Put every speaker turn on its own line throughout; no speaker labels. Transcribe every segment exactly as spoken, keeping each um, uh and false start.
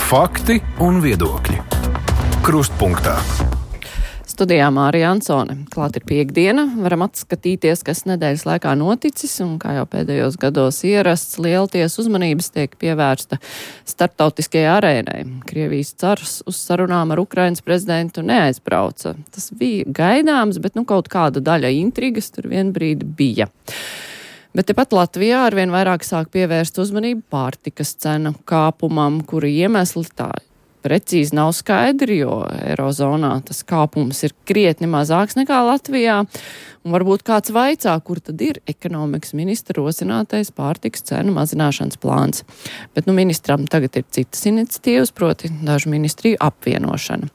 Fakti un viedokļi. Krustpunktā.
Studijā Mārija Ansone. Klāt ir piektdiena. Varam atskatīties, kas nedēļas laikā noticis, un kā jau pēdējos gados ierasts, lielties uzmanības tiek pievērsta starptautiskajai arēnai. Krievijas cars uz sarunām ar Ukrainas prezidentu neaizbrauca. Tas bija gaidāms, bet nu kaut kāda daļa intrigas tur vienbrīd bija. Bet tepat Latvijā arvien vairāk sāk pievērst uzmanību pārtikas cenu kāpumam, kura iemesli tā precīzi nav skaidri, jo Eirozonā tas kāpums ir krietni mazāks nekā Latvijā. Un varbūt kāds vaicā, kur tad ir ekonomikas ministra rosinātais pārtikas cenu mazināšanas plāns. Bet nu ministram tagad ir citas iniciatīvas, proti dažu ministriju apvienošana.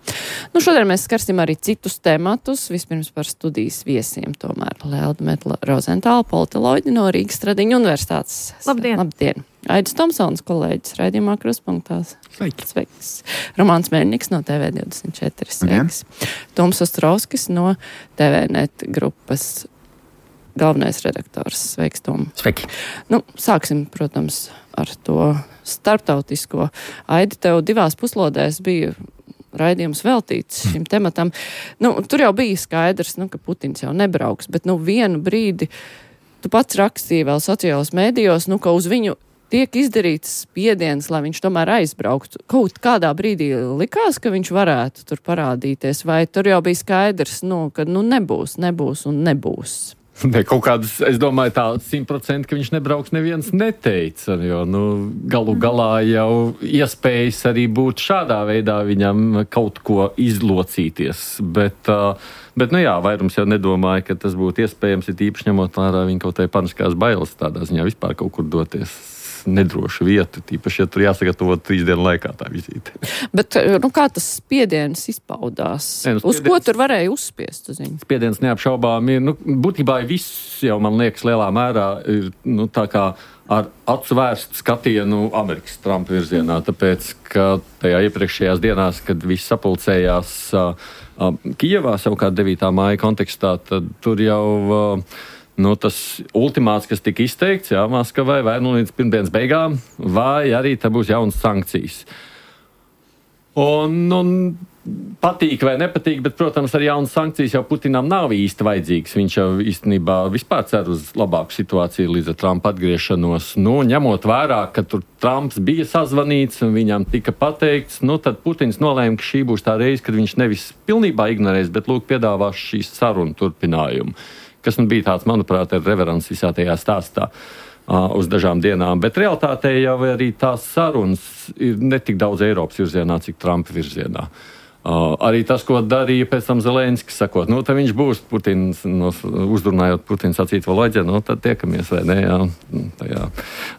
Nu šodien mēs skarsim arī citus tematus, vispirms par studijas viesiem tomēr. Lelda Metla Rozentāla, politoloģi no Rīgas Stradiņu universitātes.
Labdien!
Labdien! Aidis Tomsons, kolēģis, raidījumā Krustpunktās.
Sveiki!
Sveiks! Romāns Mērniks no T V divdesmit četri. Sveiks! Toms Ostrovskis no T V net grupas galvenais redaktors. Sveiks, Tom!
Sveiki!
Nu, sāksim, protams, ar to starptautisko. Aidi, tev divās puslodēs bija raidījums veltīts šim tematam. Nu, tur jau bija skaidrs, nu, ka Putins jau nebrauks, bet nu vienu brīdi tu pats rakstīji vēl sociālos mēdījos, nu, ka uz viņu tiek izdarīts spiediens, lai viņš tomēr aizbrauktu. Kaut kādā brīdī likās, ka viņš varētu tur parādīties, vai tur jau bija skaidrs, nu, ka nu nebūs, nebūs un nebūs.
Ne, kaut kādas, es domāju, tā simt procenti, ka viņš nebrauks, neviens neteica, jo, nu, galu galā jau iespējas arī būt šādā veidā viņam kaut ko izlocīties, bet, bet, nu jā, vairums jau nedomāja, ka tas būtu iespējams, ir īpaši ņemot vērā viņa kaut tai paniskās bailes tādā ziņā vispār kaut kur doties nedrošu vietu, tīpaši, ja tur jāsagatavot trīs dienu laikā tā vizīte.
Bet, nu, kā tas spiediens izpaudās? Ne, nu, spiediens, uz ko tur varēja uzspiest uz viņu?
Spiediens neapšaubām ir, nu, būtībā viss jau, man liekas, lielā mērā ir, nu, tā kā ar acu vērstu skatienu Amerikas Trumpa virzienā, tāpēc, ka tajā iepriekšējās dienās, kad viss sapulcējās uh, uh, Kijevā, savukārt devītā māja kontekstā, tad tur jau uh, Nu, tas ultimāts, kas tika izteikts, jā, Maskavai, vai nu līdz pirmdienas beigām, vai arī te būs jaunas sankcijas. Un, un patīk vai nepatīk, bet, protams, ar jaunas sankcijas jau Putinam nav īsti vajadzīgs. Viņš jau īstenībā vispār cer uz labāku situāciju līdz ar Trumpa atgriešanos. Nu, ņemot vērā, ka tur Trumps bija sazvanīts un viņam tika pateikts, nu, tad Putins nolēma, ka šī būs tā reize, kad viņš nevis pilnībā ignorēs, bet, lūk, piedāvās šīs sarunu turpinājumu. Kas nu bija tāds, manuprāt, ir reverants visā tajā stāstā uh, uz dažām dienām. Bet realitātē jau arī tās sarunas ir ne tik daudz Eiropas virzienā, cik Trumpa virzienā. Uh, arī tas, ko darīja pēc tam Zelenskis, sakot, nu, tad viņš būs Putins, no, uzrunājot Putins sacīt Voloģē, nu, tad tiekamies, vai ne, jā, tajā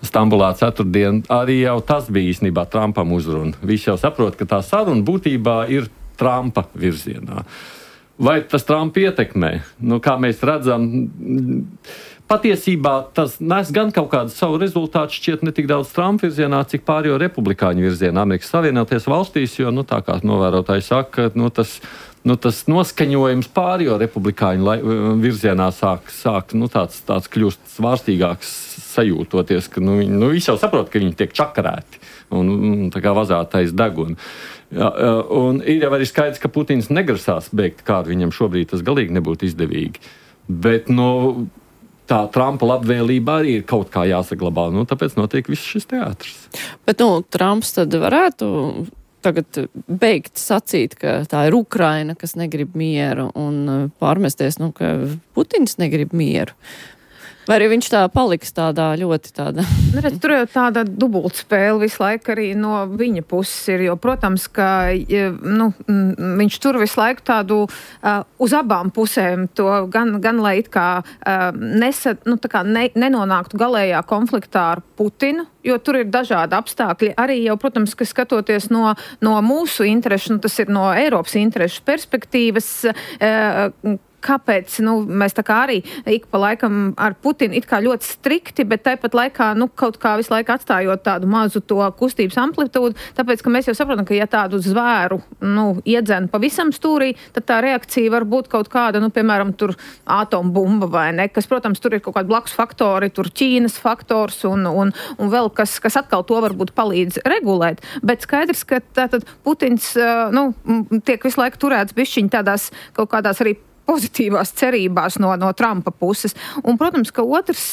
Stambulā ceturtdien. Arī jau tas bija īstenībā Trumpam uzruna. Visi jau saprot, ka tā saruna būtībā ir Trumpa virzienā. Vai tas Trumpa ietekmē? Nu, kā mēs redzam, patiesībā tas nes gan kaut kādu savu rezultātu šķiet ne tik daudz Trumpa virzienā, cik pārējo republikāņu virzienā Amerikas Savienotajās valstīs, jo, nu, tā kā novērotāji saka, nu, tas, nu, tas noskaņojums pārējo republikāņu lai, virzienā sāk, sāk nu, tāds, tāds kļūst svārstīgāks sajūtoties, ka nu, viņi, nu, visi jau saprot, ka viņi tiek čakarēti un, un tā kā vazātais deguni. Jā, un ir jau arī skaidrs, ka Putins negrasās beigt kāru, viņam šobrīd tas galīgi nebūtu izdevīgi. Bet, nu, tā Trumpa labvēlība arī ir kaut kā jāsaglabā, nu, tāpēc notiek viss šis teātris.
Bet, nu, Trumps tad varētu tagad beigt sacīt, ka tā ir Ukraina, kas negrib mieru, un pārmesties, nu, ka Putins negrib mieru. Vai arī viņš tā paliks tādā ļoti tāda?
Redz, tur jau tāda dubultspēle visu laiku arī no viņa puses ir, jo, protams, ka nu, viņš tur visu laiku tādu uh, uz abām pusēm to gan, gan lai it kā, uh, nesa, nu, tā kā ne, nenonāktu galējā konfliktā ar Putinu, jo tur ir dažādi apstākļi. Arī jau, protams, ka skatoties no, no mūsu interešu, nu, tas ir no Eiropas interešu perspektīvas, uh, kāpēc, nu, mēs tā kā arī ik pa laikam ar Putinu it kā ļoti strikti, bet tāpat laikā, nu, kaut kā visu laiku atstājot tādu mazu to kustības amplitūdu, tāpēc, ka mēs jau saprotam, ka ja tādu zvēru, nu, iedzen pavisam stūrī, tad tā reakcija var būt kaut kāda, nu, piemēram, tur atombumba vai ne, kas, protams, tur ir kaut kādi blakus faktori, tur Ķīnas faktors un, un, un vēl kas, kas atkal to varbūt palīdz regulēt, bet skaidrs, ka tātad Putins, nu, tiek visu laiku turēts bišķiņ tādās kaut kādās arī pozitīvās cerībās no, no Trumpa puses. Un, protams, ka otrs,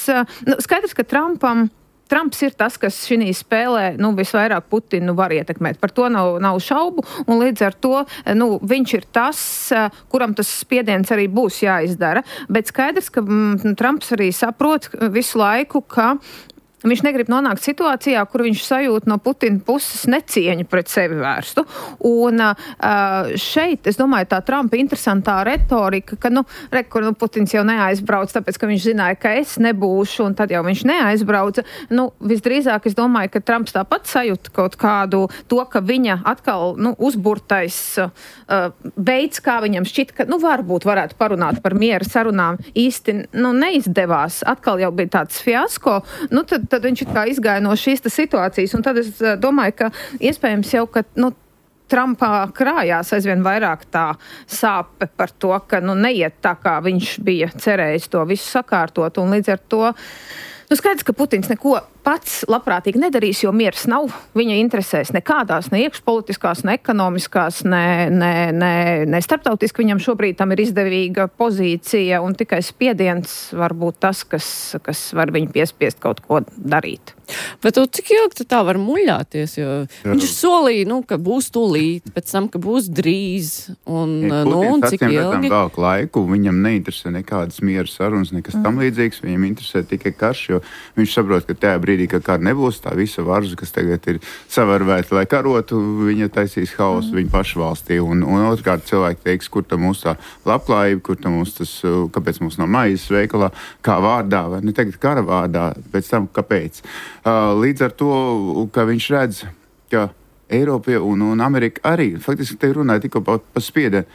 nu, skaidrs, ka Trumpam, Trumps ir tas, kas šī spēlē, nu, visvairāk Putinu var ietekmēt. Par to nav, nav šaubu, un līdz ar to, nu, viņš ir tas, kuram tas spiediens arī būs jāizdara. Bet skaidrs, ka mm, Trumps arī saprot visu laiku, ka viņš negrib nonākt situācijā, kur viņš sajūt no Putina puses necieņu pret sevi vērstu. Un uh, šeit, es domāju, tā Trumpa interesantā retorika, ka, nu, re, kur nu, Putins jau neaizbrauc, tāpēc, ka viņš zināja, ka es nebūšu, un tad jau viņš neaizbrauca. Nu, visdrīzāk, es domāju, ka Trumps tāpat sajūta kaut kādu to, ka viņa atkal, nu, uzburtais uh, veids, kā viņam šķit, ka, nu, varbūt varētu parunāt par miera sarunām, īsti, nu, neizdevās. Atkal jau bija tāds fiasko. Nu, tad tad viņš it kā izgāja no šīs situācijas, un tad es domāju, ka iespējams jau, ka, nu, Trumpā krājās aizvien vairāk tā sāpe par to, ka, nu, neiet tā, kā viņš bija cerējis to visu sakārtot, un līdz ar to, nu, skaidrs, ka Putins neko pats labprātīgi nedarīs, jo miers nav viņa interesēs nekādās, ne iekšpolitiskās, ne ekonomiskās, ne, ne, ne, ne starptautiski. Viņam šobrīd tam ir izdevīga pozīcija, un tikai spiediens var būt tas, kas, kas var viņu piespiest kaut ko darīt.
Bet tu, cik ilgi tā var muļāties, jo Jā. viņš solīja, nu, ka būs tūlīt, pēc tam, ka būs drīz, un, ja, nu, un cik ilgi?
Vēl laiku, viņam neinteresē nekādas miera sarunas, nekas mm. tam līdzīgs, viņam interesē tikai karš, jo viņš saprot, ka tajā brīdī, ka kara nebūs, tā visa varza, kas tagad ir savarvēta, lai karotu, viņa taisīs hausu mm. viņa pašu valstī, un, un otrkārt cilvēki teiks, kur tam mūs tā labklājība, kur tam mūs tas, kāpēc mums nav maizes veikalā, kā vārdā, vai ne tagad kara vārdā, pēc tam kāpēc. Līdz ar to, ka viņš redz, ka Eiropa un, un Amerika arī, faktiski te runāja tikko pa, pa spiedienu,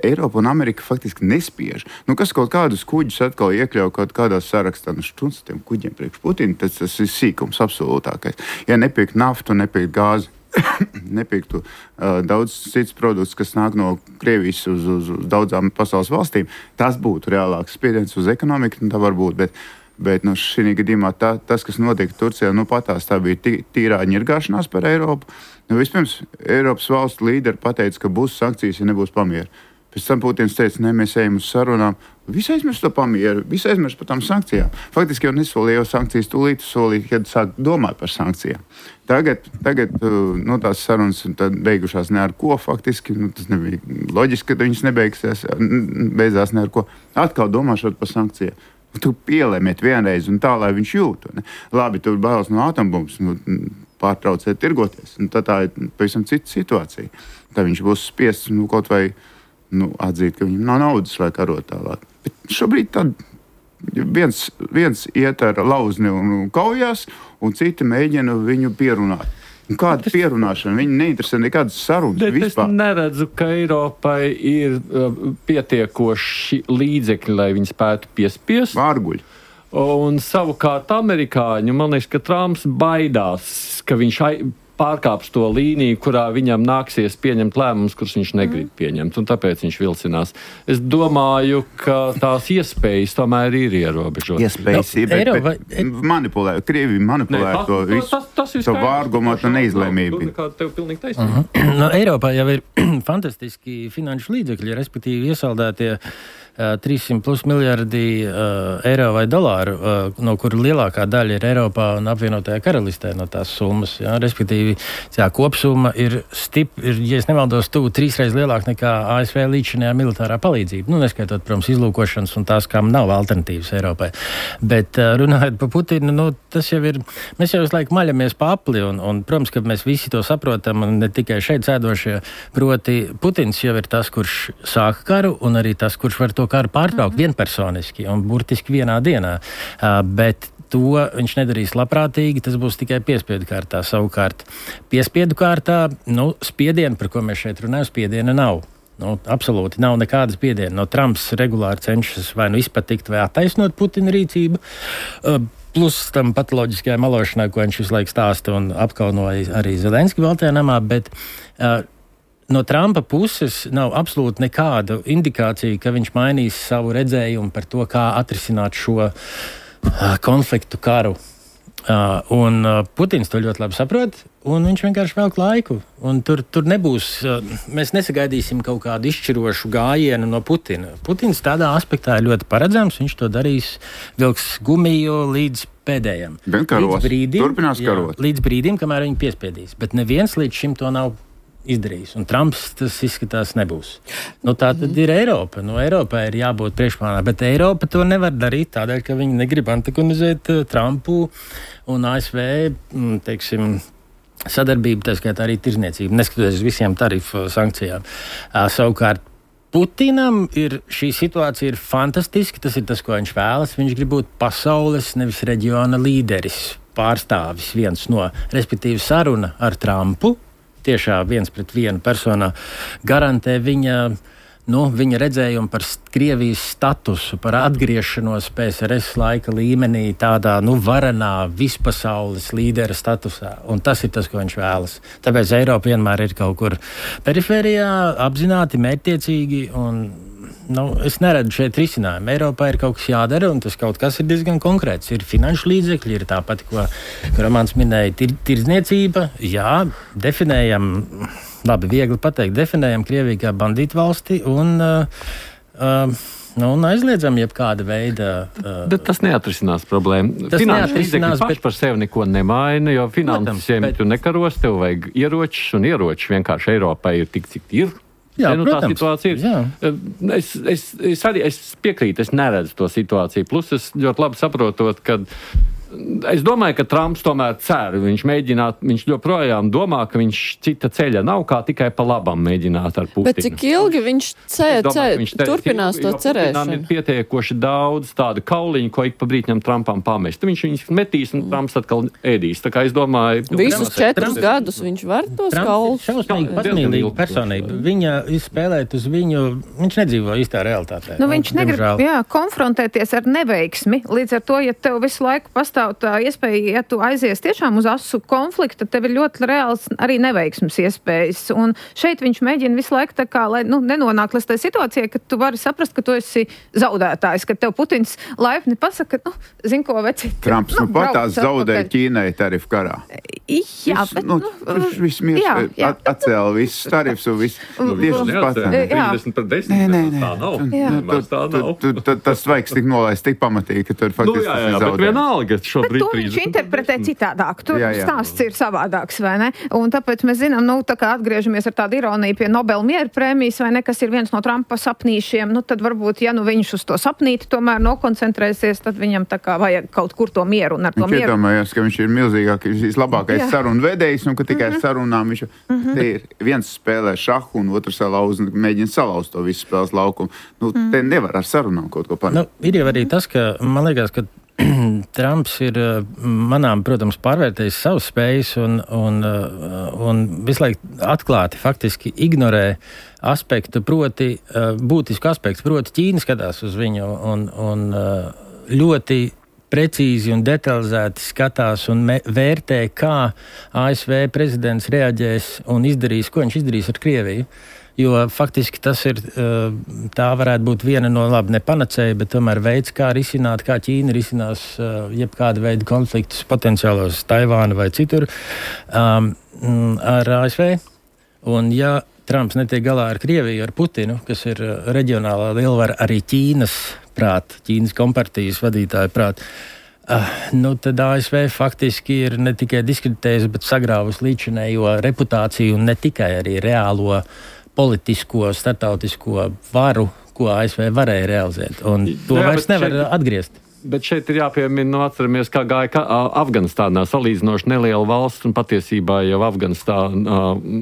Eiropa un Amerika faktiski nespiež. Nu, kas kaut kādus kuģus atkal iekļauj kaut kādā sarakstā, nu štuns tiem kuģiem priekš Putina, tas, tas ir sīkums absolūtākais. Ja nepirkt naftu, nepirkt gāzi, nepirktu uh, daudz cits produkts, kas nāk no Krievijas uz, uz, uz daudzām pasaules valstīm, tas būtu reālāks spiediens uz ekonomiku, nu tā var būt, bet Bet nu, šī gadījumā tā, tas, kas notika Turcijā, nu patās tā bija tī, tīrā ņirgāšanās par Eiropu. Nu, vispirms Eiropas valstu līderi pateica, ka būs sankcijas, ja nebūs pamiera. Pēc tam Putins teica, ne, mēs ejam uz sarunām. Visi aizmirst to pamieru, visi aizmirst par tām sankcijām. Faktiski jau nesolīja jau sankcijas tūlīt, solīja, kad sāk domāt par sankcijām. Tagad, tagad nu, tās sarunas beigušās ne ar ko faktiski. Nu, tas nebija loģiski, ka viņas nebeigsies, beidzās ne ar ko. Atkal domāšot par sankcijām. Tu pielēmiet vienreiz un tā, lai viņš jūtu. Ne? Labi, tu bailes no atombumbas, nu, pārtrauciet tirgoties. Un tā, tā ir pavisam cita situācija. Tā viņš būs spiests nu, kaut vai nu, atzīt, ka viņam nav naudas, lai karot tālāk. Bet šobrīd tad viens, viens iet ar lauzni un kaujās, un citi mēģina viņu pierunāt. Un kāda pierunāšana? Viņi neinteresē nekādas sarunas vispār.
Es neredzu, ka Eiropai ir uh, pietiekoši līdzekļi, lai viņi spētu piespiest.
Vārguļi.
Un savukārt amerikāņu, man liekas, ka Trumps baidās, ka viņš ai- pārkāps to līniju, kurā viņam nāksies pieņemt lēmumus, kurus viņš negrib pieņemt, un tāpēc viņš vilcinās. Es domāju, ka tās iespējas tomēr ir ierobežotas.
Iespējas ir, bet, Eiropa, bet manipulē, Krievi manipulē ne, to visu, tas, tas, tas to vārgumotu neizlēmību.
Tev pilnīgi taisnība.
Uh-huh. No, Eiropā jau ir fantastiski finanšu līdzekļi, respektīvi iesaldētie uh, trīssimt plus miljardi uh, eiro vai dolāru, uh, no kuru lielākā daļa ir Eiropā un apvienotajā karalistē no tās summas. Ja? Respektīvi, jā, kopsumma ir stipri, ir, ja es nemaldos, tuvu trīsreiz lielāk nekā A S V līdzinājā militārā palīdzība. Nu, neskaitot, protams, izlūkošanas un tās, kam nav alternatīvas Eiropai. Bet uh, runājot par Putinu, nu, tas jau ir, mēs jau visu laiku maļamies pa apli, un, un, protams, ka mēs visi to saprotam, un ne tikai šeit sēdošie, proti Putins jau ir tas, kurš sāka karu, un arī tas, kurš var to karu pārtraukt mm-hmm. vienpersoniski un burtiski vienā dienā. Uh, bet to viņš nedarīs labprātīgi, tas būs tikai piespiedu kārtā. Savukārt piespiedu kārtā, nu, spiedienu, par ko mēs šeit runājam, spiediena nav. Nu, absolūti nav nekādas spiediena. No Trumps regulāri cenšas vai nu izpatikt, vai attaisnot Putina rīcību. Uh, plus tam patoloģiskajai malošanai, ko viņš visu laiku stāsta un apkaunoja arī Zelenski Baltajā namā, bet uh, no Trumpa puses nav absolūti nekāda indikācija, ka viņš mainīs savu redzējumu par to, kā atrisināt šo uh, konfliktu karu. Uh, un uh, Putins to ļoti labi saprot, un viņš vienkārši velk laiku. Un tur, tur nebūs, uh, mēs nesagaidīsim kaut kādu izšķirošu gājienu no Putina. Putins tādā aspektā ir ļoti paredzams, viņš to darīs, vilks gumiju līdz pēdējiem.
Karos,
līdz brīdim,
turpinās karot.
Jā, līdz brīdim, kamēr viņi piespiedīs. Bet neviens līdz šim to nav izdarījis. Un Trumps tas izskatās nebūs. Nu, tā tad ir Eiropa. Nu, Eiropai ir jābūt priekšplānā, bet Eiropa to nevar darīt tādēļ, ka viņi negrib antagonizēt uh, Trumpu un A S V, mm, teiksim, sadarbību, tā skaitā arī tirzniecību, neskatoties uz visiem tarifu sankcijām. Uh, savukārt Putinam ir šī situācija ir fantastiska, tas ir tas, ko viņš vēlas. Viņš grib būt pasaules, nevis reģiona līderis, pārstāvis viens no, respektīvi saruna ar Trumpu, tiešā viens pret vienu personā, garantē viņa, nu, viņa redzējumu par Krievijas statusu, par atgriešanos P S R S laika līmenī, tādā nu, varenā vispasaules līdera statusā. Un tas ir tas, ko viņš vēlas. Tāpēc Eiropa vienmēr ir kaut kur perifērijā, apzināti, mērķtiecīgi un nu, es neredzu šeit risinājumu. Eiropā ir kaut kas jādara, un tas kaut kas ir diezgan konkrēts. Ir finanšu līdzekļi, ir tāpat, ko, ko Romāns minēja, tir, tirdzniecība. Jā, definējam, labi, viegli pateikt, definējam Krieviju kā bandītu valsti un, uh, uh, nu, un aizliedzam jebkāda veida. Uh,
bet tas neatrisinās problēmu. Finanšu līdzekļi paši bet... par sevi neko nemaina, jo finansiem bet... tu nekaros, tev vajag ieročus, un ieroči vienkārši Eiropai ir tik, cik ir.
Jā,
nu, tā situācija ir. Jā. Es, es, es arī es piekrītu, es neredzu to situāciju. Plus es ļoti labi saprotot, ka es domāju, ka Trumps tomēr cer. Viņš mēģināt, viņš joprojām domā, ka viņš cita ceļa nav, kā tikai pa labam mēģināt ar Putinu.
Bet cik ilgi viņš cer,
domāju,
cer,
viņš te,
turpinās to cerēšanu?
Ir pietiekoši daudz tādu kauliņu, ko ik pa brītņam Trumpam pamest. Viņš viņus metīs un Trumps atkal ēdīs. Tā kā es domāju...
Visus četrus gadus viņš var tos kaulus?
Trumps ir šausmīgi patmīlīga personība. Viņa izspēlēt uz viņu, viņš nedzīvo īstā realitātē.
Nu, viņš negrib, jā, konfrontēties ar neveiksmi. Līdz ar to, ja tev visu laiku pastāv tā iespēja, ja tu aizies tiešām uz asu konfliktu, tad tev ir ļoti reāls arī neveiksmes iespējas. Un šeit viņš mēģina visu laiku tā kā, lai nu, nenonāk līdz tai situācijai, ka tu vari saprast, ka tu esi zaudētājs, ka tev Putins laipni pasaka, nu, zin ko, veci.
Trumps nu, nu pat tās zaudēja Ķīnai tarifu karā.
Jā, bet,
nu, nu viss miers at, atcēla visus tarifus un viss.
Nu, tieši pats. trīsdesmit par desmit.
Nē, nē,
tā nav. Tā nav.
Tas svaigs tik nolaist, tik pamatīgi, ka tur faktiski
nu, jā, jā, bet vienalga.
Bet to viņš interpretē citādāk. Tur jā, jā. Stāsts ir savādāks, vai ne? Un tāpēc mēs zinām, nu, tā kā atgriežamies ar tādu ironiju pie Nobela miera prēmijas, vai ne, kas ir viens no Trumpa sapnīšiem, nu, tad varbūt, ja nu viņš uz to sapnīti tomēr nokoncentrēsies, tad viņam tā kā vajag kaut kur to mieru un ar to
viņš
mieru.
Viņš iedomājās, ka viņš ir milzīgākais, vislabākais sarunu vedējs, un ka tikai mm-hmm. sarunām viņš mm-hmm. te ir viens spēlē šahu un otrs salauz un mēģina salauzt to visu spēles laukumu. Nu, mm. te nevar ar sarunām kaut ko panākt.
Nu, ir jau arī tas, ka man liekas, ka Trumps ir manām, protams, pārvērtējis savas spējas un, un, un visu laiku atklāti faktiski ignorē aspektu, proti būtisku aspektu, proti Ķīna skatās uz viņu un, un ļoti precīzi un detalizēti skatās un me, vērtē, kā A S V prezidents reaģēs un izdarīs, ko viņš izdarīs ar Krieviju. Jo faktiski tas ir, tā varētu būt viena no labi nepanacēja, bet tomēr veids, kā risināt, kā Ķīna risinās jebkāda veida konfliktus potenciālos Taivāna vai citur um, ar A S V. Un ja Trumps netiek galā ar Krieviju, ar Putinu, kas ir reģionālā lielvara arī Ķīnas prāt, Ķīnas kompartijas vadītāja prāt, uh, nu tad A S V faktiski ir ne tikai diskreditējis, bet sagrāvus līdzinējo reputāciju un ne tikai arī reālo politisko, startautisko varu, ko A S V varēja realizēt. Un to jā, vairs nevar šeit atgriezt.
Bet šeit ir jāpiemina, nu, atceramies, kā gāja kā Afganistānā, salīdzinoši neliela valsts, un patiesībā jau Afganistāna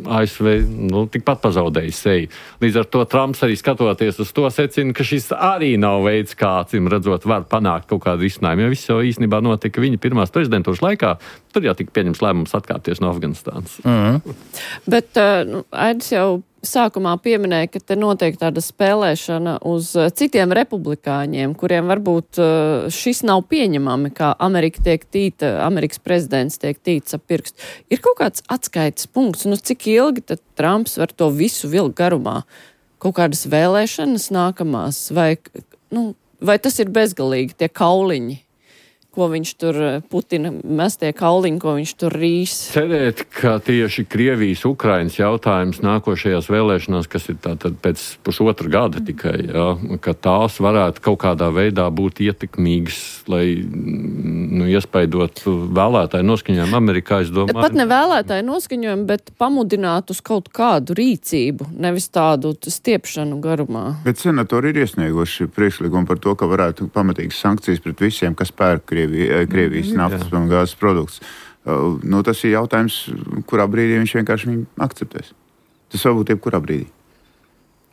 A S V nu, tikpat pazaudēja seju. Līdz ar to Trumps arī skatoties uz to secina, ka šis arī nav veids, kā, acīm redzot, var panākt kaut kādu risinājumu. Jo viss jau īstenībā notika viņa pirmās prezidentūras laikā, tur jau tika pieņems lēmums atkāpties no Afganistānas.
Mm-hmm.
Bet, nu, Aidis jau sākumā pieminēja, ka te notiek tāda spēlēšana uz citiem republikāņiem, kuriem varbūt šis nav pieņemami, kā Amerika tiek tīta, Amerikas prezidents tiek tīts ap pirkstu. Ir kaut kāds atskaites punkts, nu cik ilgi tad Trumps var to visu vilkt garumā? Kaut kādas vēlēšanas nākamās, vai, nu, vai tas ir bezgalīgi, tie kauliņi? Ko viņš tur, Putina mestie kauliņi, ko viņš tur rīs.
Cerēt, ka tieši Krievijas, Ukrainas jautājums nākošajās vēlēšanās, kas ir tātad pēc pusotra gada tikai, jā, ka tās varētu kaut kādā veidā būt ietekmīgas, lai, nu, iespaidot vēlētāju noskaņojumu Amerikā, es domāju.
Pat ne vēlētāju noskaņojumu, bet pamudināt uz kaut kādu rīcību, nevis tādu stiepšanu garumā.
Bet senatori ir iesnieguši priekšlikumu par to, ka varētu pamatīgas sankcijas pret visiem, kas pērk Krieviju. Krievijas naftas un gāzes produkts. Uh, nu, tas ir jautājums, kurā brīdī viņš vienkārši viņu akceptēs. Tas var būt jebkurā brīdī.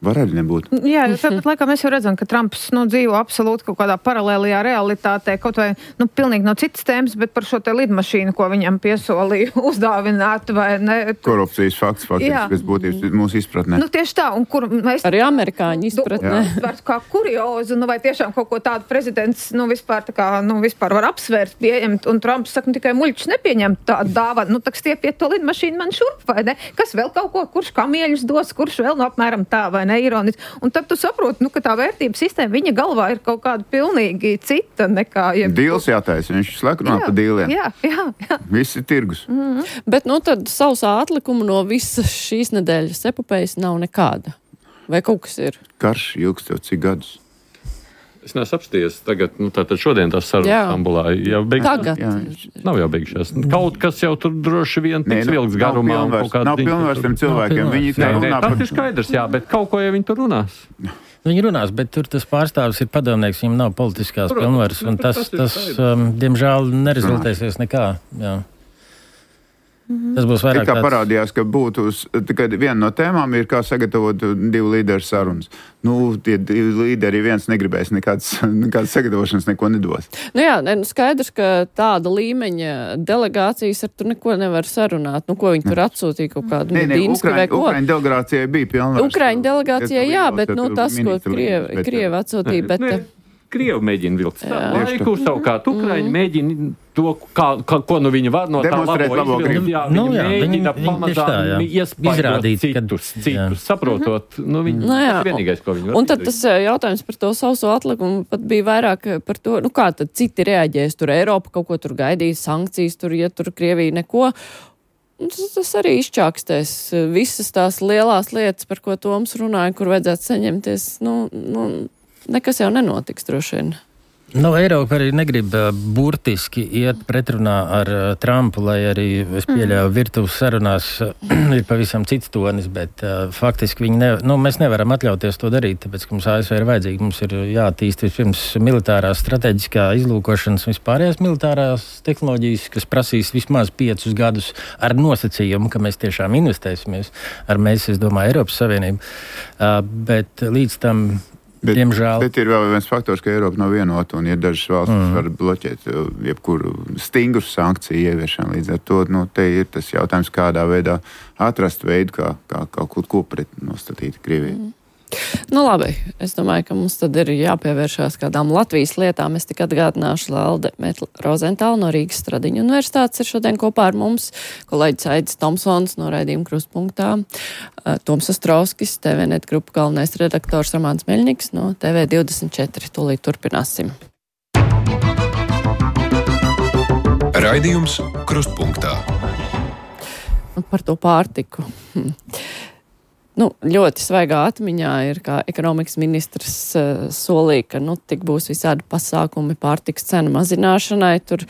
Var arī nebūt.
Jā, jo tāpat laikā mēs jau redzam, ka Trumps nu, dzīvo absolūti kaut kādā paralēlijā realitātē, kaut vai nu, pilnīgi no citas tēmas, bet par šo te lidmašīnu, ko viņam piesolīja uzdāvināt, vai ne?
Korupcijas fakts, faktiski, kas būtības mūsu izpratnē.
Nu, tieši tā, un kur mēs...
Arī amerikāņu izpratnē.
Vērts kā kuriozu, nu, vai tiešām kaut ko tādu prezidents, nu, vispār, tā kā, nu, vispār var apsvērt, pieņemt, un Trumps saka, nu, tikai muļķis nepieņem tādu dāvanu, nu, tak stiepiet to lidmašīnu man šurp, vai ne? Kas vēl kaut ko, kurš kamieļus dos, kurš vēl no apmēram tā, vai ne? Ironiski. Un tad tu saproti, nu, ka tā vērtības sistēma viņa galvā ir kaut kāda pilnīgi cita nekā... Jeb...
Dīls jātaisa, viņš slēk runā pa dīliem.
Jā, jā, jā.
Viss ir tirgus.
Mm-hmm. Bet, nu, tad sausā atlikuma no visas šīs nedēļas epopējas nav nekāda. Vai kaut kas ir?
Karš ilgst jau cik gadus.
Es neesmu apsties tagad, nu tātad šodien tās sarunas Stambulā jau beigšās.
Tagad?
Jā, nav jau beigšās. Kaut kas jau tur droši vien tiks vilks garumā.
Nav, nav pilnvars tiem cilvēkiem. Viņi
nē, nē,
runā
tas
par...
ir skaidrs, jā, bet kaut ko jau viņi tur runās.
Viņi runās, bet tur tas pārstāvis ir padomnieks, viņam nav politiskās pilnvaras, un tas, tas um, diemžēl, nerezultēsies nekā. Jā. Mm-hmm. Tas būs vairāk
kā
tāds...
parādījās, ka būtu, kad viena no tēmām ir, kā sagatavot divu līderu sarunas. Nu, tie divi līderi viens negribēs nekādas, nekādas sagatavošanas neko nedos.
Nu jā, nu skaidrs, ka tāda līmeņa delegācijas ar tur neko nevar sarunāt. Nu, ko viņi tur atsūtīja kaut kādu Medīnsku vai ko?
Ukraiņu delegācijai bija pilnvars.
Ukraiņu delegācijai, jā, bet, nu, tas, ko Krievi, Krievi atsūtīja, bet...
Ne. Krievi mēģina vilkt laiku, savukārt Ukraiņi mm. mēģina to, kā, kā, ko nu viņi var no tā labo izvilkt. Jā,
nu,
viņi
jā,
mēģina
viņi,
pamazām iespaidot citus,
kad,
citus, saprotot. Nu, viņi,
nu, jā,
tas vienīgais, ko viņi var.
Un tad tas jautājums par to sauso atlikumu pat bija vairāk par to, nu kā tad citi reaģēs, tur Eiropa kaut ko tur gaidīs, sankcijas tur, ja tur Krievija neko. Tas, tas arī izčākstēs visas tās lielās lietas, par ko Toms runāja, kur vajadzētu saņemties, nu, nu nekas jau nenotiks droši vien.
Nu, Eiropa arī negrib uh, burtiski iet pretrunā ar uh, Trumpu, lai arī, es pieļauju, virtuves sarunās uh, ir pavisam cits tonis, bet uh, faktiski viņi ne, nu, mēs nevaram atļauties to darīt, tāpēc, ka mums A S V ir vajadzīgi. Mums ir jātīst vispirms militārās strateģiskā izlūkošanas, vispārējās militārās tehnoloģijas, kas prasīs vismaz piecus gadus ar nosacījumu, ka mēs tiešām investēsimies ar mēs, es domāju, Eiropas Savienību. Uh, bet līdz tam
Bet,
diemžēl.
Bet ir vēl viens faktors, ka Eiropa nav vienota, un ja dažas valstis mm. var bloķēt jebkuru stingru sankciju ieviešanu, līdz ar to, nu, te ir tas jautājums, kādā veidā atrast veidu, kā, kā kaut ko pret nostatīt Krievijai. Mm.
Nu labi, es domāju, ka mums tad ir jāpievēršās kādām Latvijas lietām. Es tik atgādināšu Lelde Rozentālu no Rīgas Stradiņu universitātes ir šodien kopā ar mums, kolēģis Aidis Tomsons no raidījuma Krustpunktā, Toms Ostrovskis, T V net grupu galvenais redaktors Romāns Meļņiks no T V divdesmit četri. Tūlīt turpināsim.
Raidījums Krustpunktā.
Par to pārtiku. Hm. Nu, ļoti svaigā atmiņā ir, kā ekonomikas ministrs uh, solīja, ka nu, tik būs visādi pasākumi pārtikas cenu mazināšanai. Tur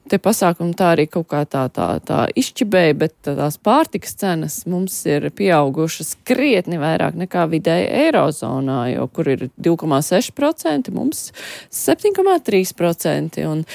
tie pasākumi tā arī kaut kā tā, tā, tā izšķibēja, bet tās pārtikas cenas mums ir pieaugušas krietni vairāk nekā vidēji Eirozonā, jo kur ir divi komā seši procenti, mums septiņi komā trīs procenti. Un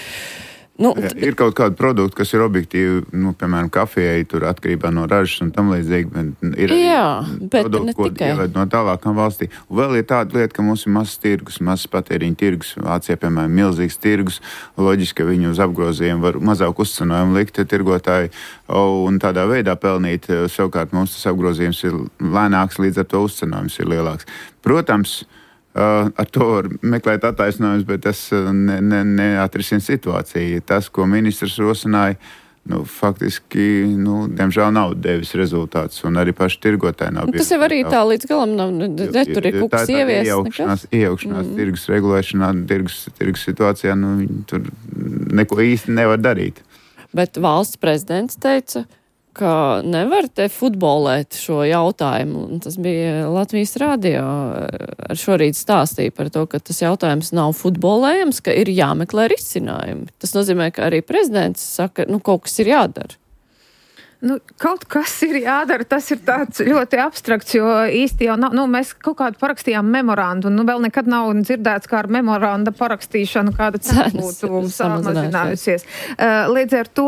Nu,
Jā, ir kaut kādi produkti, kas ir objektīvi, nu, piemēram, kafijai, tur atkarībā no ražas un tam līdzīgi, bet ir
jā, bet
produkti,
ne
ko
tikai.
ieved no tālākām valstī. Un vēl ir tāda lieta, ka mums ir mazs tirgus, mazs patēriņa tirgus, Vācijā, piemēram, milzīgs tirgus, loģiski, ka viņi uz apgrozījumu var mazāk uzcenojumu likt tirgotāji un tādā veidā pelnīt. Savukārt mums tas apgrozījums ir lēnāks, līdz ar to uzcenojums ir lielāks. Protams, Uh, ar to var meklēt attaisnojumus, bet tas uh, ne, ne, neatrisina situāciju. Tas, ko ministrs rosināja, nu, faktiski, nu, diemžēl nav devis rezultāts, un arī paši tirgotāji nav.
Nu, tas jau arī tā līdz galam nav, ne, tur ir kaut kas ievies.
Iejaukšanās, iejaukšanās mm. tirgus regulēšanā, tirgus, tirgus situācijā, nu, viņi tur neko īsti nevar darīt.
Bet valsts prezidents teica, ka nevar te futbolēt šo jautājumu. Un tas bija Latvijas radio ar šorīt stāstīja par to, ka tas jautājums nav futbolējams, ka ir jāmeklē risinājumi. Tas nozīmē, ka arī prezidents saka, nu, kaut kas ir jādara.
Nu, kaut kas ir jādara, tas ir tāds ļoti abstrakts, jo īsti jau nav, nu, mēs kaut kādu parakstījām memorandu, un nu, vēl nekad nav dzirdēts, kā ar memoranda parakstīšanu kāda cena būtu samazinājusies. Līdz ar to,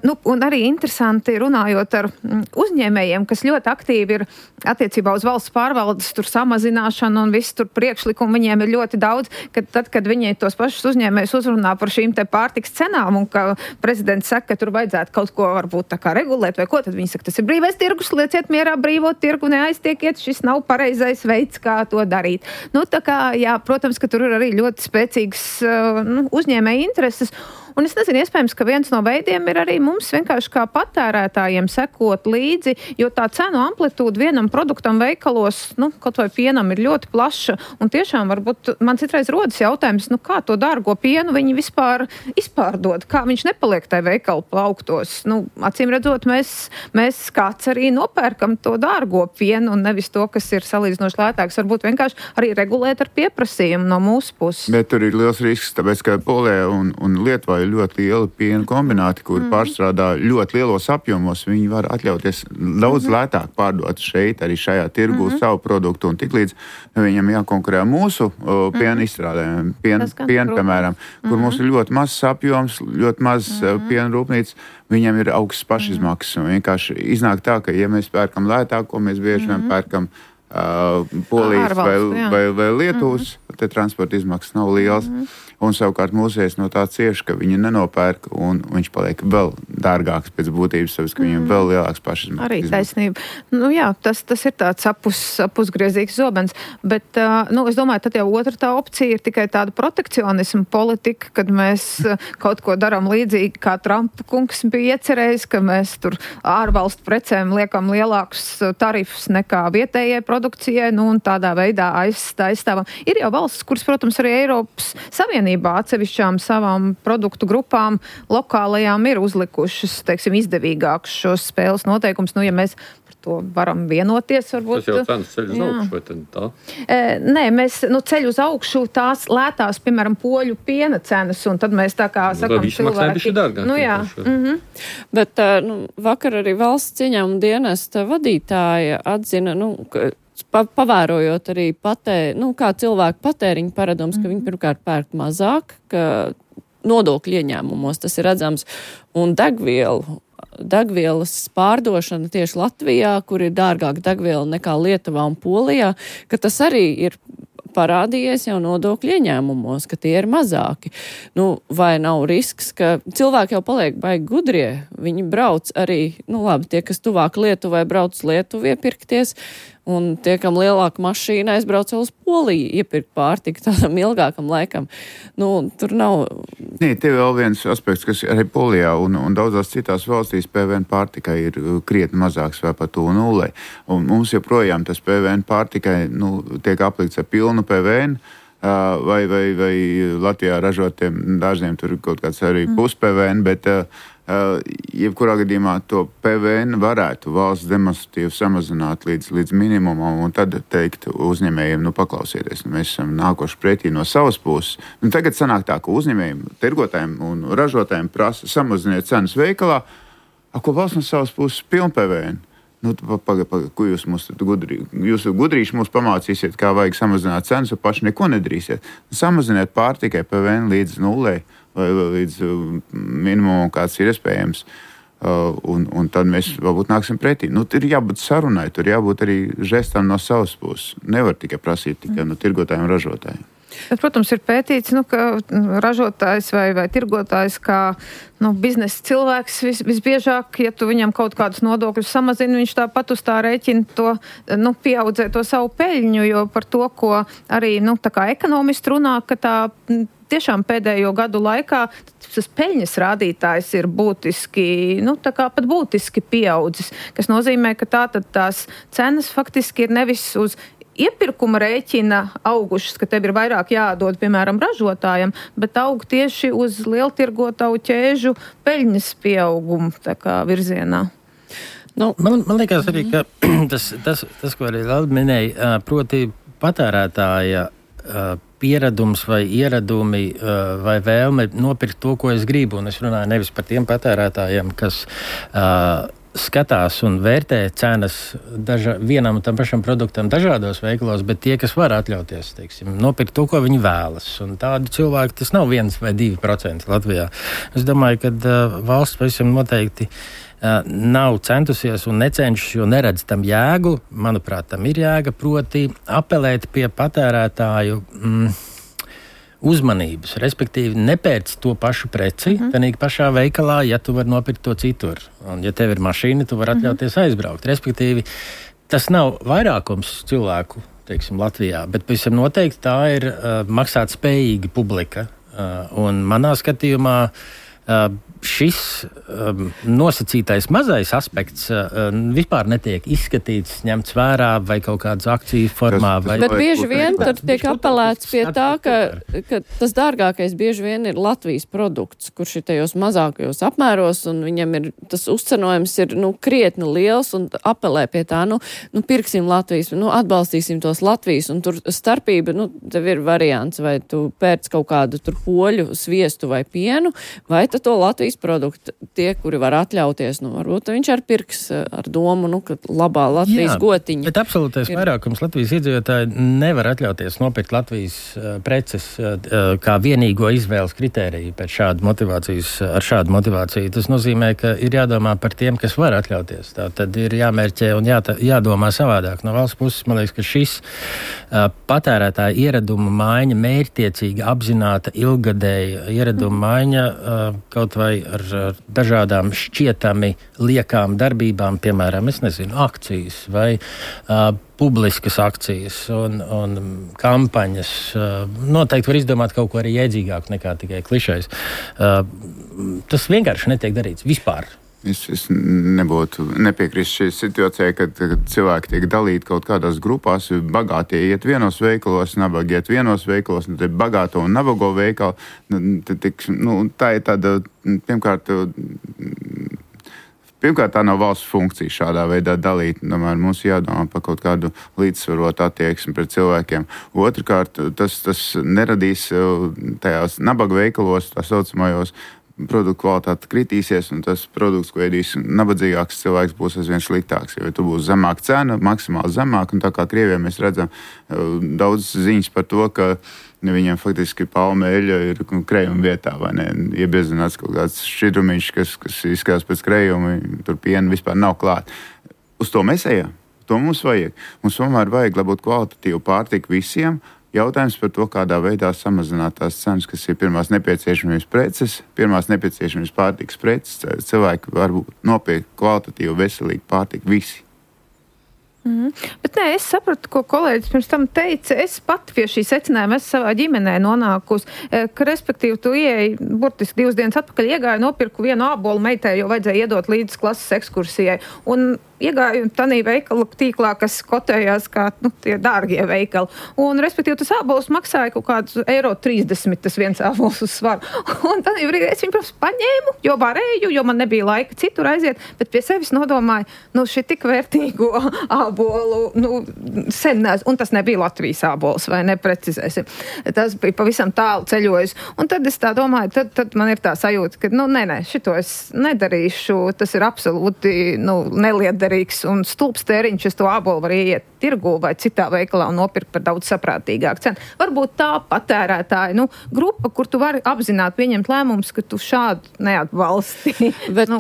nu, un arī interesanti runājot ar uzņēmējiem, kas ļoti aktīvi ir attiecībā uz valsts pārvaldes tur samazināšanu un visu tur priekšlikumu, viņiem ir ļoti daudz, kad tad, kad viņi tos pašus uzņēmējus uzrunā par šīm te pārtiks cenām, un ka prezidents saka, ka tur vajadzētu kaut ko varbūt tā kā regulēt, vai ko, tad viņi saka, tas ir brīvais tirgus, lieciet mierā brīvo tirgu, neaiztiekiet, šis nav pareizais veids, kā to darīt. Nu, tā kā, jā, protams, ka tur ir arī ļoti spēcīgs nu, uzņēmēja intereses. Un es nezinu, iespējams, ka viens no veidiem ir arī mums vienkārši kā patērētājiem sekot līdzi, jo tā cenu amplitūda vienam produktam veikalos, nu, kaut vai pienam ir ļoti plaša. Un tiešām varbūt man citreiz rodas jautājums, nu, kā to dārgo pienu viņi vispār izpārdod, kā viņš nepaliek tai veikalu plauktos. Nu, acīm redzot, mēs, mēs kāds arī nopērkam to dārgo pienu un nevis to, kas ir salīdzinoši lētāks. Varbūt vienkārši arī regulēt ar pieprasījumu no mūsu puses.
Bet tur ir liels risks, tāpēc, ka Polijā un, un Lietuvā ir ļoti liela piena kombināti, kur mm. pārstrādā ļoti lielos apjomos. Viņi var atļauties daudz mm. lētāk pārdot šeit, arī šajā tirgu mm. savu produktu, un tiklīdz viņam jākonkurē mūsu o, piena mm. izstrādēm, piena, piena piemēram, mm. kur mums ir ļoti mazs apjoms, ļoti maz mm. piena rūpnīca, viņam ir augsts pašizmaksas. Un vienkārši iznāk tā, ka ja mēs pērkam lētāko, mēs bieži vien mm. pērkam uh, Polijas vai, vai, vai Lietuvas, mm. te transporta izmaksas nav liels. Mm. Un savukārt mūsēs no tā cieši, ka viņi nenopērk, un viņš paliek vēl dārgāks pēc būtības, tāpēc, ka viņam mm. vēl lielāks pašizmaksas.
Arī taisnība. Nu jā, tas, tas ir tāds apus, apusgriezīgs zobens, bet, uh, nu, es domāju, tad jau otra tā opcija ir tikai tāda protekcionisma politika, kad mēs uh, kaut ko daram līdzīgi, kā Trumpa kungs bija iecerējis, ka mēs tur ārvalstu precēm liekam lielākus tarifus nekā vietējai produkcijai, nu, un tādā veidā aizstāvam. Ir jau valsts, kuras, protams, arī Eiropas Savienība atsevišķām savām produktu grupām lokālajām ir uzlikušas, teiksim, izdevīgākus šos spēles noteikumus. Nu, ja mēs par to varam vienoties, varbūt...
Tas jau cenas ceļ uz augšu, vai tad tā?
E, nē, mēs nu, ceļ uz augšu tās lētās, piemēram, poļu piena cenas, un tad mēs tā kā
nu,
sakam
cilvēki... Dārgāk,
nu, jā. Mm-hmm.
Bet nu, vakar arī valsts ieņēmuma dienesta vadītāja atzina, nu, ka Pa, pavērojot arī patē, nu, kā cilvēku patēriņu paradums, ka viņi pirmkārt pērk mazāk, ka nodokļu ieņēmumos tas ir redzams, un degvielu, degvielas pārdošana tieši Latvijā, kur ir dārgāka degviela nekā Lietuvā un Polijā, ka tas arī ir parādījies jau nodokļu ieņēmumos, ka tie ir mazāki. Nu, vai nav risks, ka cilvēki jau paliek baigi gudrie, viņi brauc arī, nu labi, tie, kas tuvāk Lietuvai, brauc Lietuvu iepirkties, un tie, kam lielāka mašīna, aizbrauc uz Poliju iepirkt pārtiku tādam ilgākam laikam. Nu, tur nav...
Nē, te vēl viens aspekts, kas arī Polijā un, un daudzās citās valstīs P V N pārtikai ir krietni mazāks vai pat tuvu nulei. Un mums joprojām tas P V N pārtikai nu, tiek aplikts ar pilnu P V N, uh, vai, vai, vai Latvijā ražotiem dažiem tur kaut kāds arī pus P V N, bet uh, Uh, jebkurā gadījumā to P V N varētu valsts demonstratīvi samazināt līdz, līdz minimumam un tad teikt uzņēmējiem, nu paklausieties, nu, mēs esam nākoši pretī no savas puses. Nu, tagad sanāk tā, ka uzņēmējiem, tirgotājiem un ražotājiem prasa samaziniet cenas veikalā, a, ko valsts no savas puses pilnu P V N. Nu, pagaid, pagaid, ko jūs mums gudrī, jūs gudrīši mums pamācīsiet, kā vajag samazināt cenas, un paši neko nedrīsiet. Samaziniet pārtikai P V N līdz nulei, vai līdz minimumam, kāds ir iespējams. Uh, un, un tad mēs varbūt nāksim pretī. Nu, tur ir jābūt sarunai, tur jābūt arī žestam no savas puses. Nevar tikai prasīt tikai no tirgotājiem un ražotājiem.
Bet, protams, ir pētīts, nu, ka ražotājs vai, vai tirgotājs kā nu, biznesa cilvēks vis, visbiežāk, ja tu viņam kaut kādus nodokļus samazini, viņš tāpat uz tā rēķina to, nu, pieaudzē to savu peļņu, jo par to, ko arī, nu, tā kā ekonomisti runā, ka tā tiešām pēdējo gadu laikā tas peļņas rādītājs ir būtiski, nu, tā kā pat būtiski pieaudzis, kas nozīmē, ka tā tad tās cenas faktiski ir nevis uz iepirkuma rēķina augušas, ka tev ir vairāk jādod, piemēram, ražotājiem, bet aug tieši uz lieltirgotavu ķēžu peļņas pieaugumu tā kā virzienā.
Nu, man, man liekas arī, ka tas, tas, tas ko arī Lelda minēja, proti patērētāja pieredums vai ieradumi vai vēlme nopirkt to, ko es gribu, un es runāju nevis par tiem patērētājiem, kas uh, skatās un vērtē cenas daža, vienam un tam pašam produktam dažādos veikalos, bet tie, kas var atļauties, teiksim, nopirkt to, ko viņi vēlas. Un tādu cilvēku tas nav viens vai divi procenti Latvijā. Es domāju, ka uh, valsts pavisam noteikti uh, nav centusies un necenšas, jo neredz tam jēgu. Manuprāt, tam ir jēga, proti apelēt pie patērētāju mm, uzmanības, respektīvi nepērc to pašu preci, uh-huh. Tanīgi pašā veikalā, ja tu vari nopirkt to citur. Un ja tev ir mašīna, tu vari atļauties uh-huh. aizbraukt. Respektīvi, tas nav vairākums cilvēku, teiksim, Latvijā, bet pavisam noteikti tā ir uh, maksāt spējīga publika. Uh, un manā skatījumā uh, šis um, nosacītais mazais aspekts uh, vispār netiek izskatīts, ņemts vērā vai kaut kādas akciju formā. Vai...
Bet bieži vien tur tiek apelēts pie tā, ka, ka tas dārgākais bieži vien ir Latvijas produkts, kurš ir tajos mazākajos apmēros, un viņam ir tas uzcenojums ir, nu, krietni liels, un apelē pie tā, nu, nu pirksim Latvijas, nu, atbalstīsim tos Latvijas, un tur starpība, nu, tev ir variants, vai tu pērc kaut kādu tur poļu, sviestu vai pienu, vai tad to Latvijas produkti, tie, kuri var atļauties, nu, varbūt viņš ar pirks ar domu, nu, ka labā Latvijas
Jā,
gotiņa.
Bet absolūtais ir... vairākums Latvijas iedzīvotāji nevar atļauties nopirkt Latvijas uh, preces uh, kā vienīgo izvēles kritēriju pēc šādu motivācijas, ar šādu motivāciju. Tas nozīmē, ka ir jādomā par tiem, kas var atļauties. Tā tad ir jāmērķē un jā, jādomā savādāk. No valsts puses, man liekas, ka šis uh, patērētāja ieraduma maiņa, mērķtiecīga, apzināta, ilgadēja ieraduma maiņa uh, kaut vai ar, ar dažādām šķietami liekām darbībām, piemēram, es nezinu, akcijas vai uh, publiskas akcijas un, un kampaņas. Uh, noteikti var izdomāt kaut ko arī jēdzīgāku nekā tikai klišais. Uh, tas vienkārši netiek darīts vispār.
Es, es nebūtu nepiekrist šī situācijai, kad, kad cilvēki tiek dalīti kaut kādās grupās. Bagātie iet vienos veikalos, nabagi iet vienos veikalos, un tad bagāto un nabago veikalu. Tad, nu, tā ir tāda, pirmkārt, pirmkārt, tā nav valsts funkcija šādā veidā dalīt. Tomēr mums jādomā par kaut kādu līdzsvarotu attieksmi pret cilvēkiem. Otrkārt, tas, tas neradīs tajās nabaga veikalos, tā saucamajos, produktu kvalitāte kritīsies, un tas produkts, ko ēdīs nabadzīgāks cilvēks, būs aizvien sliktāks. Jo tu būs zemāka cena, maksimāli zemāka, un tā kā Krievijā mēs redzam daudz ziņas par to, ka viņiem faktiski palma eļļa ir krējuma vietā, vai ne? Iebiezināts kaut kāds šķidrumiņš, kas, kas izskatās pēc krējuma, tur piena vispār nav klāt. Uz to mēs ejam. To mums vajag. Mums tomēr vajag, lai būtu kvalitatīva pārtika visiem. Jautājums par to, kādā veidā samazināt tās cenas, kas ir pirmās nepieciešamības preces, pirmās nepieciešamības pārtikas preces. Cilvēki var nopirkt kvalitatīvu, veselīgu pārtiku visi.
Mm. Bet nē, es sapratu, ko kolēģis pirms tam teica. Es pat pie šī secinājuma esmu savā ģimenē nonākusi, ka, respektīvi, tu ieeji, burtiski divas dienas atpakaļ iegāju, nopirku vienu ābolu meitai, jo vajadzēja iedot līdz klases ekskursijai. Un iegāju tanī veikalu tīklā, kas kotējās kā, nu, tie dārgie veikali. Un, respektīvi, tas ābols maksāja kaut kādus eiro trīsdesmit, tas viens ābols uz svaru. Un tanī brīdī es viņu, protams, paņēmu, jo varēju, jo man nebija laika citur aiziet, bet pie sevis nodomāju, nu, šī tik vērtīgo ābolu, nu, sen nes, un tas nebija Latvijas ābols, vai neprecizēsim. Tas bija pavisam tālu ceļojis. Un tad es tā domāju, tad, tad man ir tā sajūta, ka, nu, nē, nē, šito es nedarīšu, tas ir absolūti, nu, neliederīgi. neliederīgs un stulbs tēriņš, es to ābolu var ieiet tirgu vai citā veikalā un nopirkt par daudz saprātīgāku cenu. Varbūt tā patērētāja, nu, grupa, kur tu vari apzināt, pieņemt lēmumus, ka tu šādu neatbalsti.
Bet,
nu,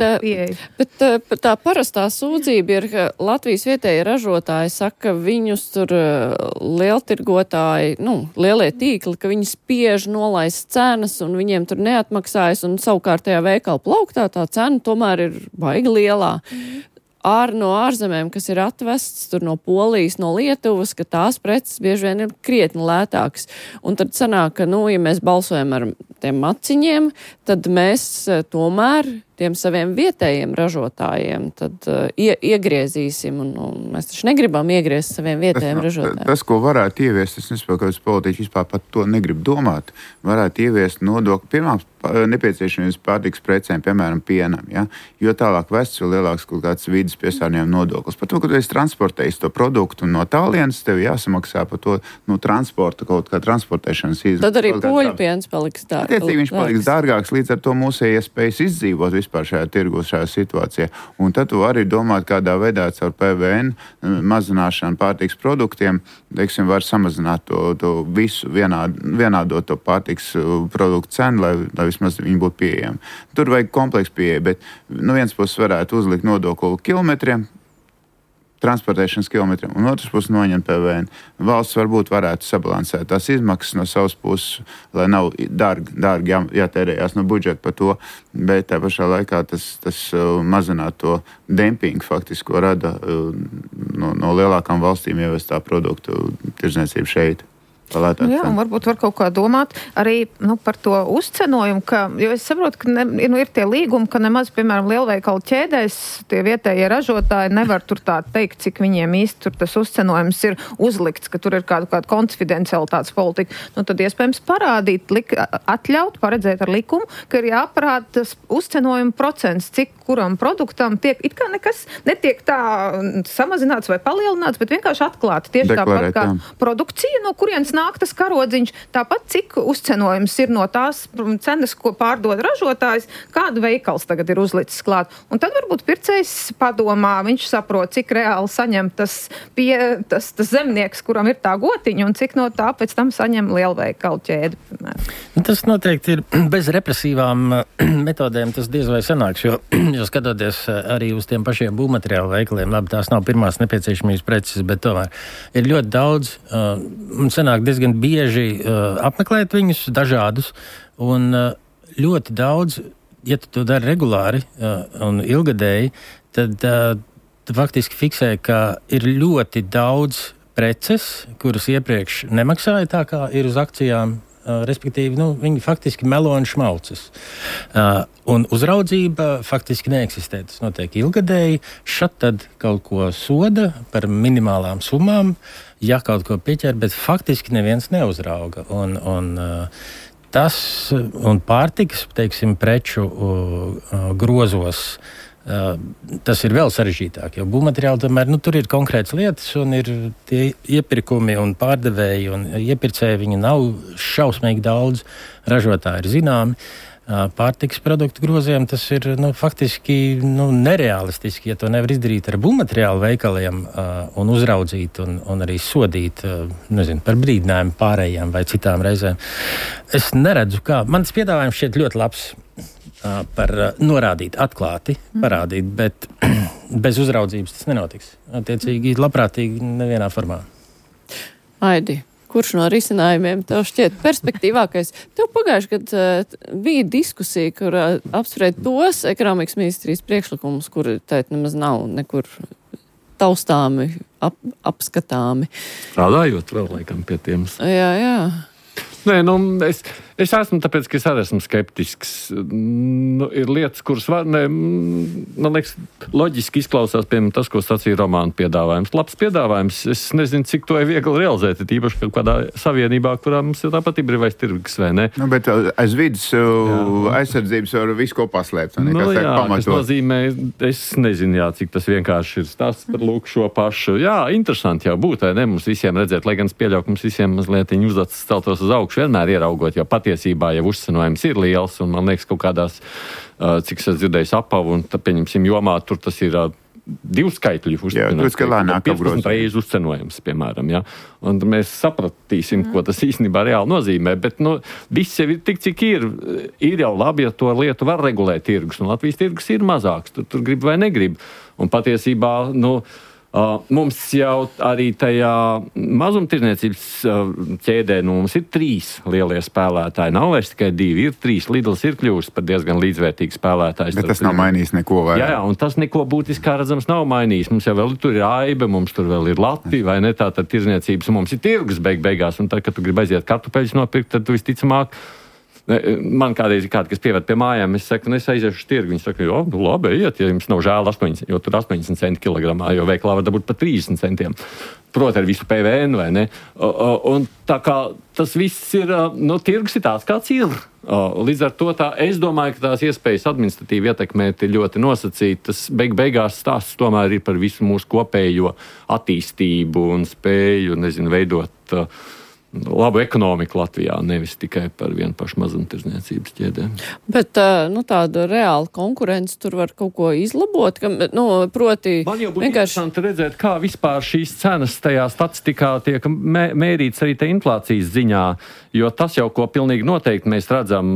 bet tā parastā sūdzība ir, ka Latvijas vietējie ražotāji saka, ka viņus tur lieltirgotāji, nu, lielie tīkli, ka viņi spiež nolaist cenas un viņiem tur neatmaksājas un savukārt tajā veikala plauktā tā cena tomēr ir baigi lielā. Mm. Ār no ārzemēm, kas ir atvests tur no Polijas, no Lietuvas, ka tās preces bieži vien ir krietni lētākas. Un tad sanāk, ka, nu, ja mēs balsojam ar tiem maciņiem, tad mēs tomēr tiem saviem vietējiem ražotājiem tad uh, ie, iegriezīsim, un, un mēs taču negribam iegriezt saviem vietējiem
tas,
ražotājiem.
Tas, ko varētu ieviest, es nesaprotu, ka politiķi vispār pat to negrib domāt, varētu ieviest nodokli pirmām nepieciešamības pārtikas precēm, piemēram, pienam, ja? Jo tālāk vests, jo lielāks kaut kāds vidas piesārņojuma nodoklis. Par to, ka tu esi transportējis to produktu no tālienes, tev jāsamaksā par to no transporta, kaut kā transportēšanas izmaksas.
Tad arī poļu piens paliks dārgāks.
Attiecīgi viņš paliks dārgāks, līdz ar to mūsu iespējas izdzīvot vispār šajā tirgu, šajā situācijā. Un tad tu arī domāt, kādā veidā caur P V N mazināšanu pārtikas produktiem, teiksim, var samazināt to, to visu, vienād, vienādot to pārtikas produktu cenu, lai, lai vismaz viņi būtu pieejami. Tur vajag kompleksu pieeja, bet no vienas puses varētu uzlikt nodokli kilometriem, transportēšanas kilometriem, un otrs puses noņemt P V N. Valsts varbūt varētu sabalansēt tās izmaksas no savas puses, lai nav dārgi, dārgi jā, jātērējās no budžeta par to, bet tā pašā laikā tas, tas uh, mazināt to dempingu faktiski, ko rada uh, no, no lielākām valstīm ievestā produktu tirdzniecība šeit.
Jā, un varbūt var kaut kā domāt arī nu, par to uzcenojumu, ka, jo es saprotu, ka ne, nu, ir tie līgumi, ka nemaz, piemēram, lielveikalu ķēdēs tie vietējie ražotāji nevar tur tā teikt, cik viņiem īsti tur tas uzcenojums ir uzlikts, ka tur ir kāda, kāda konfidencialitātes politika. Nu, tad iespējams parādīt, lik, atļaut, paredzēt ar likumu, ka ir jāparāda tas uzcenojuma procents, cik kuram produktam tiek, it kā nekas netiek tā samazināts vai palielināts, bet vienkārši atklāti. Tieši
Deklarēt,
tāpat kā
jā.
Produkcija, no kurienes nāk tas karodziņš, tāpat cik uzcenojums ir no tās cenas, ko pārdod ražotājs, kādu veikals tagad ir uzlicis klāt. Un tad varbūt pircējs padomā, viņš saprot, cik reāli saņem tas, pie, tas, tas zemnieks, kuram ir tā gotiņa, un cik no tā pēc tam saņem lielveikalu ķēdi.
Tas noteikti ir bez represīvām metodēm, tas diez vai sanāks, jo, jo skatoties arī uz tiem pašiem būvmateriālu veikaliem, labi, tās nav pirmās nepieciešamības preces, bet tomēr ir ļoti daudz, uh, un sanāk diezgan bieži uh, apmeklēt viņus dažādus, un uh, ļoti daudz, ja tu to dari regulāri uh, un ilgadēji, tad uh, tu faktiski fiksē, ka ir ļoti daudz preces, kuras iepriekš nemaksāja tā, kā ir uz akcijām, uh, respektīvi, nu, viņi faktiski melo un šmaucas. Uh, un uzraudzība faktiski neeksistē. Tas notiek ilgadēji, šat tad kaut ko soda par minimālām summām, ja kaut ko pieķer, bet faktiski neviens neuzrauga. Un, un uh, tas un pārtikas, teiksim, preču uh, grozos, uh, tas ir vēl sarežģītāk, jo būvmateriāli tomēr, nu, tur ir konkrētas lietas un ir tie iepirkumi un pārdevēji un iepircēji, viņi nav šausmīgi daudz, ražotāji ir zināmi. Pārtikas produktu groziem tas ir nu, faktiski nu, nereālistiski, ja to nevar izdarīt ar būvmateriālu veikaliem uh, un uzraudzīt un, un arī sodīt uh, nezinu, par brīdinājumu pārējām vai citām reizēm. Es neredzu, kā. Mans piedāvājums šķiet ļoti labs uh, par uh, norādīt, atklāti, parādīt, bet bez uzraudzības tas nenotiks. Attiecīgi, labprātīgi nevienā formā.
Aidi. Kurš no risinājumiem tev šķiet perspektīvākais? Tev pagājuši, kad uh, bija diskusija, kur uh, apspried tos ekonomikas ministrijas priekšlikumus, kuri tēt nemaz nav nekur taustāmi, ap, apskatāmi.
Strādājot vēl laikam pie tiem.
Jā, jā.
Nē, nu, es, es esmu tāpēc, ka es arī esmu skeptisks. Nu, ir lietas, kuras var, ne, man liekas, loģiski izklausās, piemēram, tas, ko sacīja Romāna piedāvājums. Labs piedāvājums. Es nezinu, cik to ir viegli realizēt, tīpaši kaut kādā savienībā, kurā mums ir tāpat ir brīvais tirgus, vai ne?
Nu, bet aiz vidas aizsardzības var visu ko paslēpt.
Nu, jā, kas nozīmē, es nezinu, jā, cik tas vienkārši ir stāsts par lūk šo pašu. Jā, interesanti jau būt, vai ne, mums visiem redzēt, lai gan es pieļauju, ka mums visiem mazliet uzdots celtos uz augšu. Vienmēr ieraugot, jo patiesībā jau uzcenojums ir liels, un man liekas, kaut kādās, cik es dzirdēju, apavu, un tā, pieņemsim, jomā tur tas ir divu skaitļu
uzcenojums.
piecpadsmit reizes uzcenojums, piemēram. Ja? Un mēs sapratīsim, mm. ko tas īstenībā reāli nozīmē. Bet nu, viss jau ir tik, cik ir. Ir jau labi, ja to lietu var regulēt tirgus. Un Latvijas tirgus ir mazāks. Tur, tur grib vai negrib. Un patiesībā, nu, Uh, mums jau arī tajā mazumtirniecības uh, ķēdē, nu, mums ir trīs lielie spēlētāji. Nav vairs tikai divi, ir trīs. Lidls ir kļuvis par diezgan līdzvērtīgu spēlētāju.
Bet tas nav mainījis neko vairāk.
Jā, jā, un tas neko būtiski, kā redzams, nav mainījis. Mums jau vēl tur ir Aiba, mums tur vēl ir Latvija, vai ne tā, tad tirniecības, un mums ir tirgus beig beigās, un tad, kad tu gribi aiziet kartupeļus nopirkt, tad tu visticamāk. Man kādreiz ir kādi, kas pievērt pie mājām, es saku, nu es aiziešu uz tirgu. Viņi saka, jo, nu labi, iet, ja jums nav žēl astoņdesmit, jo tur astoņdesmit centi kilogramā, jo veiklā var dabūt pat trīsdesmit centiem. Proti ar visu P V N, vai ne? Un tā kā tas viss ir, nu, tirgus ir tāds, kāds ir. Līdz ar to tā, es domāju, ka tās iespējas administratīvi ietekmēt ir ļoti nosacītas. Beig beigās stāsts tomēr ir par visu mūsu kopējo attīstību un spēju, nezinu, veidot labu ekonomiku Latvijā, nevis tikai par vienu pašu mazumtirdzniecības ķēdēm.
Bet nu, tāda reāla konkurence tur var kaut ko izlabot, ka, nu, proti...
Man jau būtu vienkārši interesanti redzēt, kā vispār šīs cenas tajā statistikā tiek mē, mērīts arī te inflācijas ziņā, jo tas jau, ko pilnīgi noteikti mēs redzam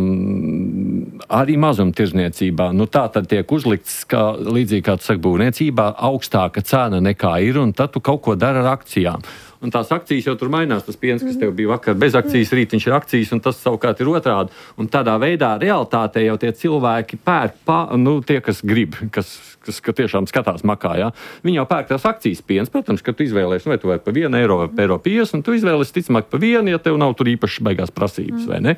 arī mazumtirdzniecībā. Nu, tā tad tiek uzlikts, kā, līdzīgi kā tu saki, būvniecībā, augstāka cena nekā ir, un tad tu kaut ko dara ar akcijām. Un tās akcijas jau tur mainās, tas piens, kas tev bija vakar bez akcijas, rīt viņš ir akcijas, un tas savukārt ir otrādi. Un tādā veidā realitātē jau tie cilvēki pērk, pā, nu, tie, kas grib, kas, kas ka tiešām skatās makā, ja? Viņi jau pērk tās akcijas piens, protams, ka tu izvēlēsi, vai tu vai pa vienu eiro vai pa eiro piecdesmit, un tu izvēlēsi ticamāk pa vienu, ja tev nav tur īpaši baigās prasības, vai ne?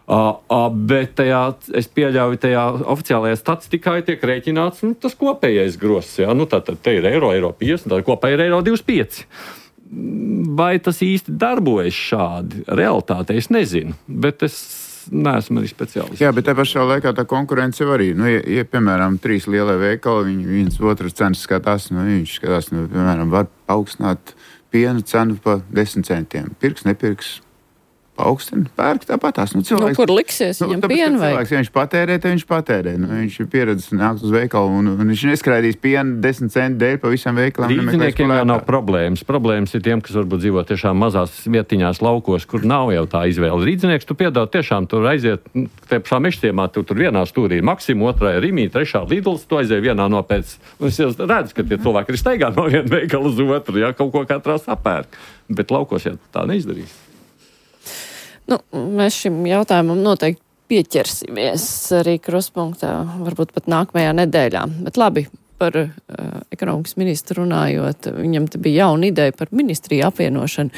Uh, uh, bet tajā, es pieļauju, tajā oficiālajā statistikā tiek rēķināts nu, tas kopējais gross, ja? Nu, tā tad te ir eiro, eiro piecdesmit, tad kopēji ir eiro divdesmit pieci. Vai tas īsti darbojas šādi? Realitāte es nezinu, bet es neesmu arī speciālists.
Jā, bet tā pašā laikā tā konkurence jau arī. Nu, ja, ja piemēram, trīs lielie veikali, viņi viens otras cenas skatās, nu, viņš skatās, nu, piemēram, var paaugstināt piena cenu pa desmit centiem. Pirks, nepirks. Augstina, pērk tāpatās. Nu, cilvēks,
nu, kur liksies viņam
nu,
pienu vai?
Cilvēks, ja viņš patērē, tad viņš patērē. Nu, viņš ir pieredzis nākt uz veikalu un, un viņš neskraidīs pienu desmit centu dēļ pa visam veikalam.
Rīdziniekiem jau nav problēmas. Problēmas ir tiem, kas varbūt dzīvo tiešām mazās vietiņās laukos, kur nav jau tā izvēle. Rīdzinieks, tu piedāvā tiešām tur aiziet, te pašā mežciemā, tu tur vienā stūrī ir Maxima, otrā ir Rimī, trešā Lidls, tu aiziet vienā no pēc. Un es redzu, ka tie cilvēki ir steigā no viena veikala uz otru, ja kaut ko katrā sapērk. Bet laukos jau tā neizdarīs.
Nu, mēs šim jautājumam noteikti pieķersimies arī Kruspunktā, varbūt pat nākamajā nedēļā. Bet labi, par uh, ekonomikas ministru runājot, viņam te bija jauna ideja par ministriju apvienošanu.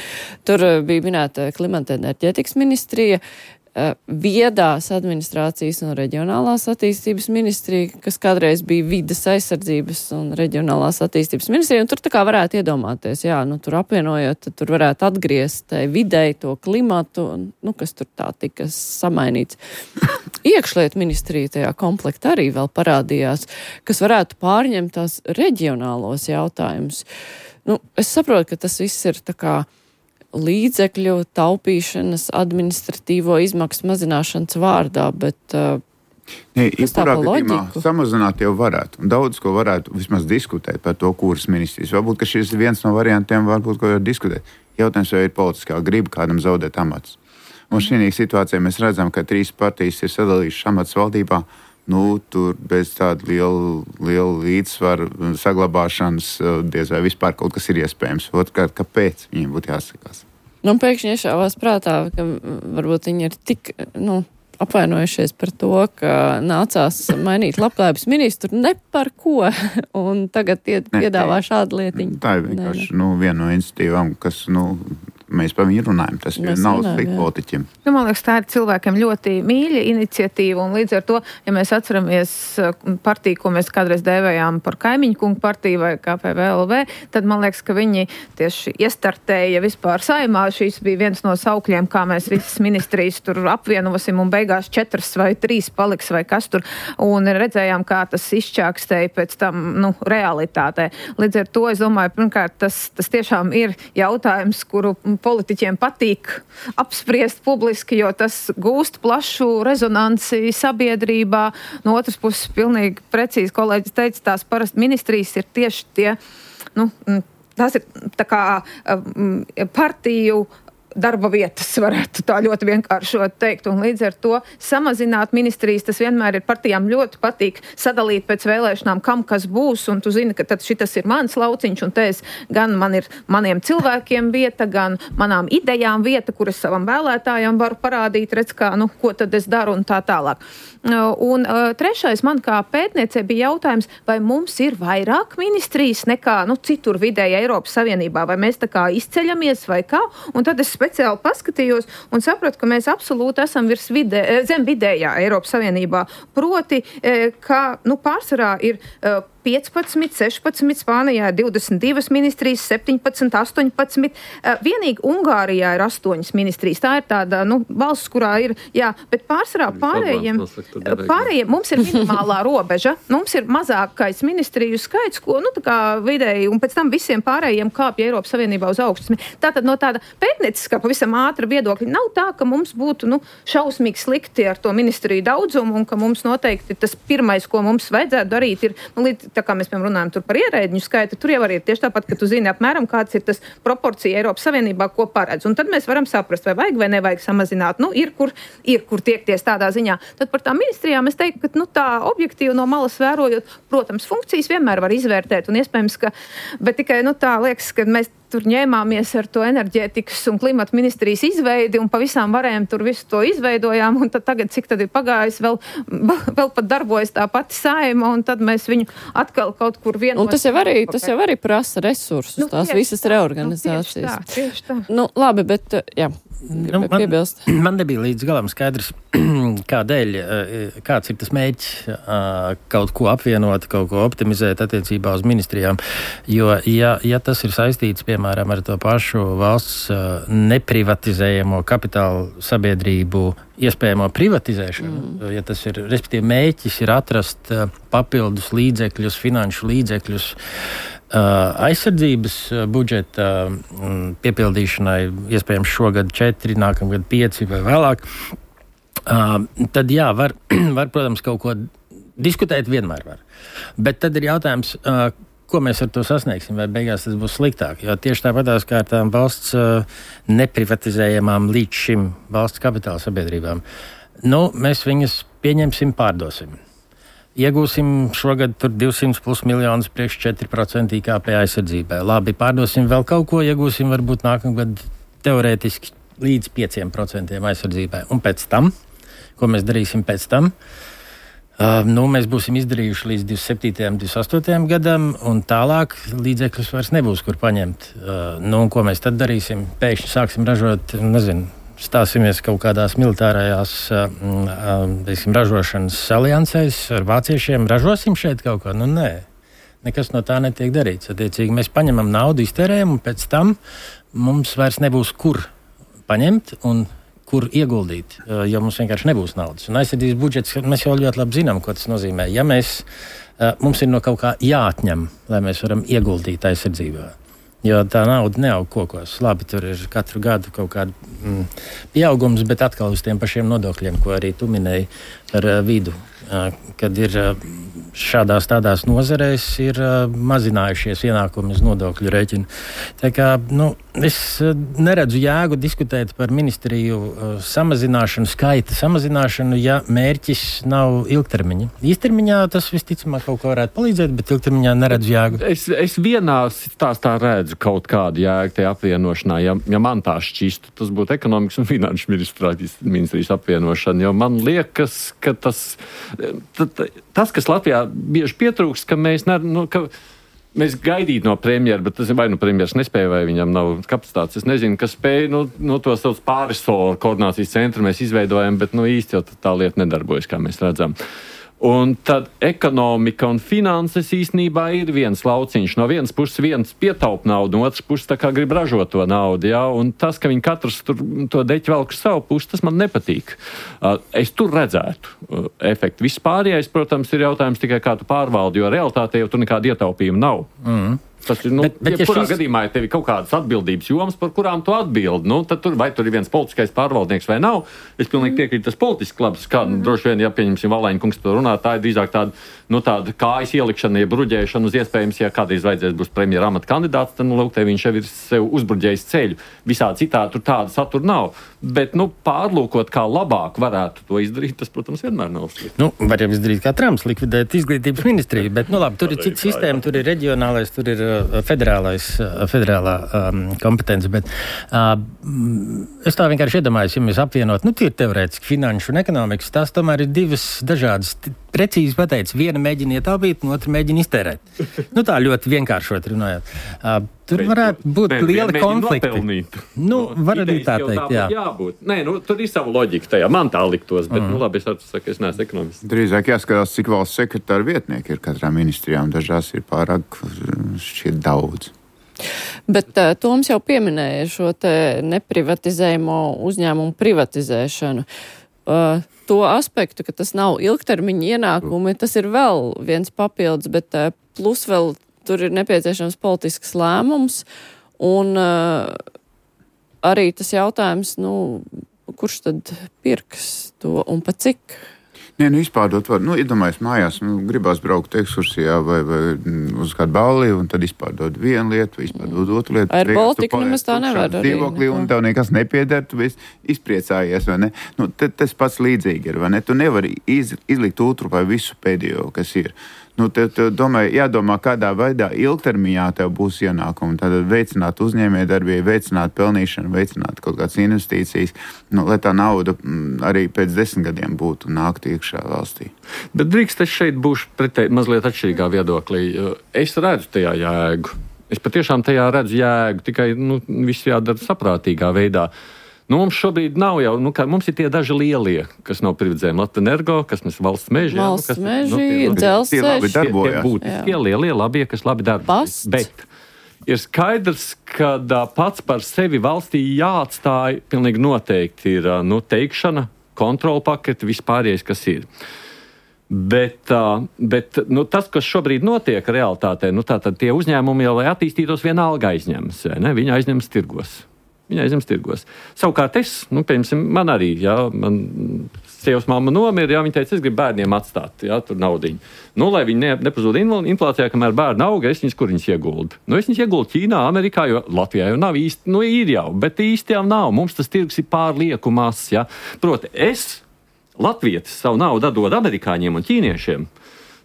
Tur uh, bija minēta klimata enerģētikas ministrija, uh, viedās administrācijas un reģionālās attīstības ministrija, kas kādreiz bija vides aizsardzības un reģionālās attīstības ministrija, un tur tā kā varētu iedomāties, jā, nu tur apvienojot, tad tur varētu atgriezt videi to klimatu, nu, kas tur tā tika samainīts. Iekšlietu ministrija tajā komplektā arī vēl parādījās, kas varētu pārņemt tās reģionālos jautājumus. Nu, es saprotu, ka tas viss ir tā kā līdzekļu taupīšanas, administratīvo izmaksu mazināšanas vārdā, bet uh,
Nē, jebkurā gadījumā samazināt jau varētu. Un daudz ko varētu vismaz diskutēt par to, kuras ministrijas. Varbūt, ka šis ir viens no variantiem, varbūt, ko var diskutēt. Jautājums jau ir politiskā griba kādam zaudēt amats. Un šī situācijā mēs redzam, ka trīs partijas ir sadalījušas amats valdībā. Nu, tur bez tāda liela, liela līdzsvara saglabāšanas diez vai vispār kaut kas ir iespējams. Otrkārt, kāpēc viņiem būtu jāsakās?
Nu, pēkšņi iešāvās prātā, ka varbūt viņi ir tik, nu, apvainojušies par to, ka nācās mainīt labklājības ministru ne par ko, un tagad ied, piedāvā šādu lietiņu.
Tā ir vienkārši, nu, viena no iniciatīvām, kas, nu, mēs par viņu runājam. Tas mēs nav slikti politiķiem.
Nu, man liekas, tā ir cilvēkiem ļoti mīļa iniciatīva, un līdz ar to, ja mēs atceramies partiju, ko mēs kādreiz dēvējām par kaimiņu kungu partiju vai K P V L V, tad man liekas, ka viņi tieši iestartēja vispār saimā. Šīs bija viens no saukļiem, kā mēs visas ministrijas tur apvienosim, un beigās četras vai trīs paliks vai kas tur, un redzējām, kā tas izčākstēja pēc tam, nu, realitātē. Līdz ar to, es domāju, pirmkārt, tas, tas tiešām ir jautājums, kuru politiķiem patīk apspriest publiski, jo tas gūst plašu rezonanci sabiedrībā. No otras puses, pilnīgi precīzi kolēģis teica, tās parasti ministrijas ir tieši tie, nu, tās ir tā kā partiju darba vietas, varētu tā ļoti vienkāršot teikt, un līdz ar to samazināt ministrijas, tas vienmēr ir partijām ļoti patīk sadalīt pēc vēlēšanām, kam kas būs, un tu zini, ka tad šitas ir mans lauciņš, un te es gan man ir maniem cilvēkiem vieta, gan manām idejām vieta, kuras savam vēlētājam varu parādīt, redz kā, nu, ko tad es daru un tā tālāk. Un uh, trešais man kā pētniecei bija jautājums, vai mums ir vairāk ministrijas nekā, nu, citur vidēji Eiropas Savienībā, vai mēs tā kā izceļamies vai kā, un tad es speciāli paskatījos un sapratu, ka mēs absolūti esam virs vidē, zem vidējā Eiropas Savienībā, proti, ka, nu, pārsvarā ir uh, piecpadsmit, sešpadsmit, Spānijā ir divdesmit divas ministrijas, septiņpadsmit, astoņpadsmit. Vienīgi Ungārijā ir astoņas ministrijas. Tā ir tāda, nu, valsts, kurā ir, jā, bet pārsvarā pārējiem, pārējiem mums ir minimālā robeža. Mums ir mazākais ministriju skaits, ko, nu, tā kā vidēji, un pēc tam visiem pārējiem kāpja Eiropas Savienībā uz augstu. Tātad no tāda pētnieciskā pavisam ātra viedokļa nav tā, ka mums būtu, nu, šausmīgi slikti ar to ministriju daudzumu un ka mums noteikti tas pirmais, ko mums vajadzētu darīt, ir, nu, līdz tā kā mēs, piemēram, runājam tur par ierēdņu skaitu, tur jau arī ir tieši tāpat, ka tu zini apmēram, kāds ir tas proporcija Eiropas Savienībā, ko paredz. Un tad mēs varam saprast, vai vajag vai nevajag samazināt. Nu, ir kur, ir kur tiekties tādā ziņā. Tad par tām ministrijām es teiktu, ka, nu, tā objektīvi no malas vērojot, protams, funkcijas vienmēr var izvērtēt un iespējams, ka, bet tikai, nu, tā liekas, ka mēs tur ņēmāmies ar to enerģētikas un klimata ministrijas izveidi un pavisam varējām tur visu to izveidojām un tad tagad, cik tad ir pagājis, vēl, vēl pat darbojas tā pati Saeima un tad mēs viņu atkal kaut kur vienos.
Un tas jau arī, tas jau arī prasa resursus, nu, tās visas tā, reorganizācijas. Nu, tieši tā, tieši tā. Nu, labi, bet, jā.
Nu, man, man nebija līdz galam skaidrs, kādēļ, kāds ir tas mēģis kaut ko apvienot, kaut ko optimizēt attiecībā uz ministrijām. Jo, ja, ja tas ir saistīts, piemēram, ar to pašu valsts neprivatizējamo kapitālu sabiedrību iespējamo privatizēšanu, mm. ja tas ir, respektīvi, mēģis ir atrast papildus līdzekļus, finanšu līdzekļus, aizsardzības budžeta piepildīšanai, iespējams šogad četri, nākamgad pieci vai vēlāk, tad jā, var, var, protams, kaut ko diskutēt vienmēr var. Bet tad ir jautājums, ko mēs ar to sasniegsim, vai beigās tas būs sliktāk, jo tieši tāpatās kā ar tām valsts neprivatizējamām līdz šim valsts kapitāla sabiedrībām, nu, mēs viņas pieņemsim, pārdosim. Iegūsim šogad tur divsimt plus miljonus priekš četri procenti I K P aizsardzībai. Labi, pārdosim vēl kaut ko, iegūsim varbūt nākamgad teorētiski līdz pieciem procentiem aizsardzībai. Un pēc tam, ko mēs darīsim pēc tam, uh, nu, mēs būsim izdarījuši līdz divdesmit septītajam, divdesmit astotajam gadam, un tālāk līdzekļus vairs nebūs, kur paņemt. Uh, nu, un ko mēs tad darīsim? Pēkšņi sāksim ražot, nezinu, stāsimies kaut kādās militārajās teiksim, ražošanas aliansēs ar vāciešiem, ražosim šeit kaut ko? Nu, nē, nekas no tā netiek darīts. Attiecīgi, mēs paņemam naudu, iztērējam, un pēc tam mums vairs nebūs kur paņemt un kur ieguldīt, jo mums vienkārši nebūs naudas. Un aizsardzības budžets, mēs jau ļoti labi zinām, ko tas nozīmē. Ja mēs, mums ir no kaut kā jāatņem, lai mēs varam ieguldīt aizsardzībā. Jo tā nauda neaug kokos. Labi, tur ir katru gadu kaut kāda mm, pieaugums, bet atkal uz tiem pašiem nodokļiem, ko arī tu minēji par uh, vidu, uh, kad ir uh, šādās tādās nozarēs ir uh, mazinājušies ienākumi uz nodokļu rēķinu. Tā kā, nu, es uh, neredzu jēgu diskutēt par ministriju uh, samazināšanu, skaita samazināšanu, ja mērķis nav ilgtermiņa. Īstermiņā tas visticamāk kaut ko varētu palīdzēt, bet ilgtermiņā neredzu jēgu.
Es, es vienā stāstā redzu kaut kādu jēgu tajā apvienošanā. Ja, ja man tā šķistu, tas būtu ekonomikas un finanšu ministrijas apvienošana, jo man liekas, ka tas, tas kas Latvijā bieži pietrūkst, ka mēs, ne, nu, ka mēs gaidīt no premjera, bet tas ir vai nu premjeras nespēja, vai viņam nav kapacitātes. Es nezinu, kas spēja, nu, no to savus pārisola koordinācijas centru mēs izveidojam, bet nu, īsti jau tā lieta nedarbojas, kā mēs redzam. Un tad ekonomika un finanses īstenībā ir viens lauciņš. No vienas puses viens pietaup naudu, no otras puses tā kā grib ražot to naudu. Ja? Un tas, ka viņi katrs tur to deķi velk uz savu pusi, tas man nepatīk. Uh, es tur redzētu uh, efektu. Viss pārējais, protams, ir jautājums tikai kā tu pārvaldi, jo realitātē jau tur nekāda ietaupījuma nav.
Mm.
Tas ir, nu,
bet, bet,
ja kurā
šis...
gadījumā ir tev kaut kādas atbildības jomas, par kurām tu atbildi, nu, tad tur, vai tur ir viens politiskais pārvaldnieks vai nav. Es pilnīgi piekrītu, tas politisks labs, kā mm. droši vien, ja pieņemsim Valēņa kungs to runā, tā ir drīzāk tāda, nu, tāda kājas ielikšana, ja bruģēšana uz iespējams, ja kādreiz vajadzēs būs premjera amata kandidāts, tad, nu, lūk, te viņš jau ir sev uzbruģējis ceļu. Visā citā tur tāda satura nav. Bet, nu, pārlūkot, kā labāk varētu to izdarīt, tas, protams, vienmēr nav slikti.
Nu, var jau izdarīt kā Trumps, likvidēt izglītības ministriju, bet, nu, labi, tur ir cita sistēma, tur ir reģionālais, tur ir uh, federālais, uh, federālā um, kompetence, bet uh, es tā vienkārši iedomājos, ja mēs apvienot, nu, tie ir teorētiski finanšu un ekonomikas, tās tomēr ir divas dažādas, precīzi pateicis, viena mēģina ietaupīt, un otra mēģina iztērēt. Nu, tā ļoti vienkāršot runājot. Uh, Tur varētu būt bet, liela konflikta. Nu, var arī tā teikt, jā.
Jābūt. Nē, nu, tur ir sava loģika tajā. Man tā liktos, bet, mm. nu, labi, es atsaku, es neesmu ekonomists.
Drīzāk jāskatās, cik valsts sekretāra vietnieki ir katrā ministrijā, un dažās ir pārāk šķiet daudz.
Bet uh, Toms jau pieminēja šo te neprivatizējumu uzņēmumu privatizēšanu. Uh, to aspektu, ka tas nav ilgtermiņa ienākumi, tas ir vēl viens papildus, bet uh, plus vēl tur ir nepieciešams politisks lēmums, un uh, arī tas jautājums, nu, kurš tad pirks to un pa cik?
Nē, nu, izpārdot var, nu, iedomājies mājās, nu, gribās braukt ekskursijā vai, vai uz kādu balli, un tad izpārdot vienu lietu, vai izpārdot otru lietu.
Ar Baltiku nemaz tā nevar arī.
Dzīvoklī, un tev nekas nepieder, tu esi izpriecājies, vai ne? Nu, te, tas pats līdzīgi ir, vai ne? Tu nevari iz, izlikt otru vai visu pēdējo, kas ir. Nu, te, te, domāju, jādomā, kādā veidā ilgtermiņā tev būs ienākumi. Tātad veicināt uzņēmējdarbību, veicināt pelnīšanu, veicināt kaut kādas investīcijas, nu, lai tā nauda m, arī pēc desmit gadiem būtu nākt iekšā valstī.
Bet drīkst es šeit būšu pretēji mazliet atšķirīgā viedoklī. Es redzu tajā jēgu. Es patiešām tajā redzu jēgu, tikai nu, viss jādara saprātīgā veidā. Nu, mums šobrīd nav jau, nu, kā, mums ir tie daži lielie, kas nav privatizējumi. Latvijas-Energo, kas mēs valsts meži.
Valsts
jā, nu,
meži,
nu,
dzelzceļš.
Tie labi
būtiski, tie lielie labie, kas labi darbojas. Bet ir skaidrs, ka pats par sevi valstī jāatstāj pilnīgi noteikti ir, nu, teikšana, kontrola paketi, vispārējais, kas ir. Bet, bet nu, tas, kas šobrīd notiek realitātē, nu, tātad tie uzņēmumi jau, lai attīstītos, vienalga aizņemas, ne? Viņi aizņemas tirgos. Viņa aizņems tirgos. Savukārt es, nu, piemēram, man arī, jā, man sievas mamma nomira, jā, viņa teica, es gribu bērniem atstāt, jā, tur naudiņu. Nu, lai viņi ne, nepazūd inflācijā, kamēr bērni auga, es viņus, kur viņus ieguldu. Nu, es viņus ieguldu Ķīnā, Amerikā, jo Latvijā jau nav īsti, nu, ir jau, bet īsti jau nav. Mums tas tirgus ir pārlieku mazs, jā. Proti, es, latvietis, savu naudu dod amerikāņiem un ķīniešiem.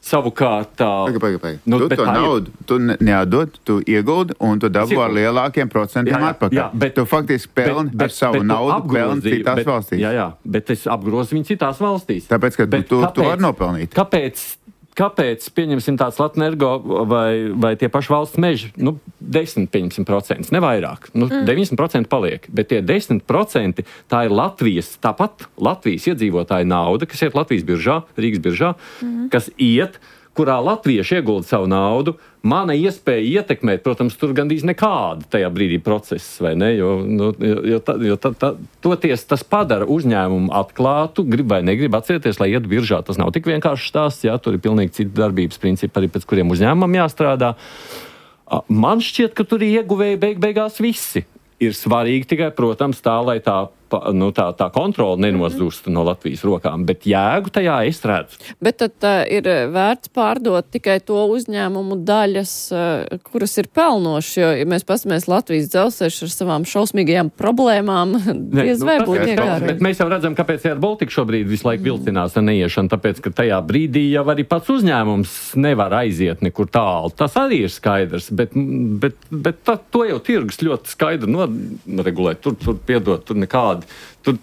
Savukārt,
paga, paga, paga.
Nu,
tu to naudu tu neatdod, tu ieguldi un tu dabū ar lielākiem procentiem jā, jā, atpakaļ. Jā, bet, tu faktiski pelni bet, bet, ar savu bet, naudu, pelni citās
bet,
valstīs.
Jā, jā, bet es apgrozu viņu citās valstīs.
Tāpēc, ka bet, tu,
kāpēc,
tu vari nopelnīt.
Kāpēc? Kāpēc, pieņemsim tāds Latvijas-Energo vai, vai tie paši valsts meži, nu, desmit procenti, ne vairāk, nu, mm. deviņdesmit procenti paliek, bet tie desmit procenti tā ir Latvijas, tāpat Latvijas iedzīvotāja nauda, kas iet Latvijas biržā, Rīgas biržā, mm. kas iet, kurā latvieši iegulda savu naudu, mana iespēja ietekmēt, protams, tur gandrīz nekāda tajā brīdī process, vai ne, jo, nu, jo, ta, jo ta, ta, toties tas padara uzņēmumu atklātu, grib vai negrib atcerieties, lai iet biržā. Tas nav tik vienkārši stāsts, jā, tur ir pilnīgi citi darbības principi, arī pēc kuriem uzņēmumam jāstrādā. Man šķiet, ka tur ir ieguvēji beig beigās visi. Ir svarīgi tikai, protams, tā, lai tā, nu, tā, tā kontrola nenozūst no Latvijas rokām, bet jēgu tajā es redzu.
Bet tad uh, ir vērts pārdot tikai to uzņēmumu daļas, uh, kuras ir pelnošas, jo, ja mēs paskatāmies Latvijas dzelzceļš ar savām šausmīgajām problēmām, diez vai
nu,
būtu iekārot. Bet
mēs jau redzam, kāpēc Air Baltica šobrīd visu laiku vilcinās ar neiešanu, tāpēc, ka tajā brīdī jau arī pats uzņēmums nevar aiziet nekur tālu. Tas arī ir skaidrs, bet, bet, bet tā, to jau tirgus ļoti skaidri noregulē. Tur, tur piedot, tur nekādi. Tur,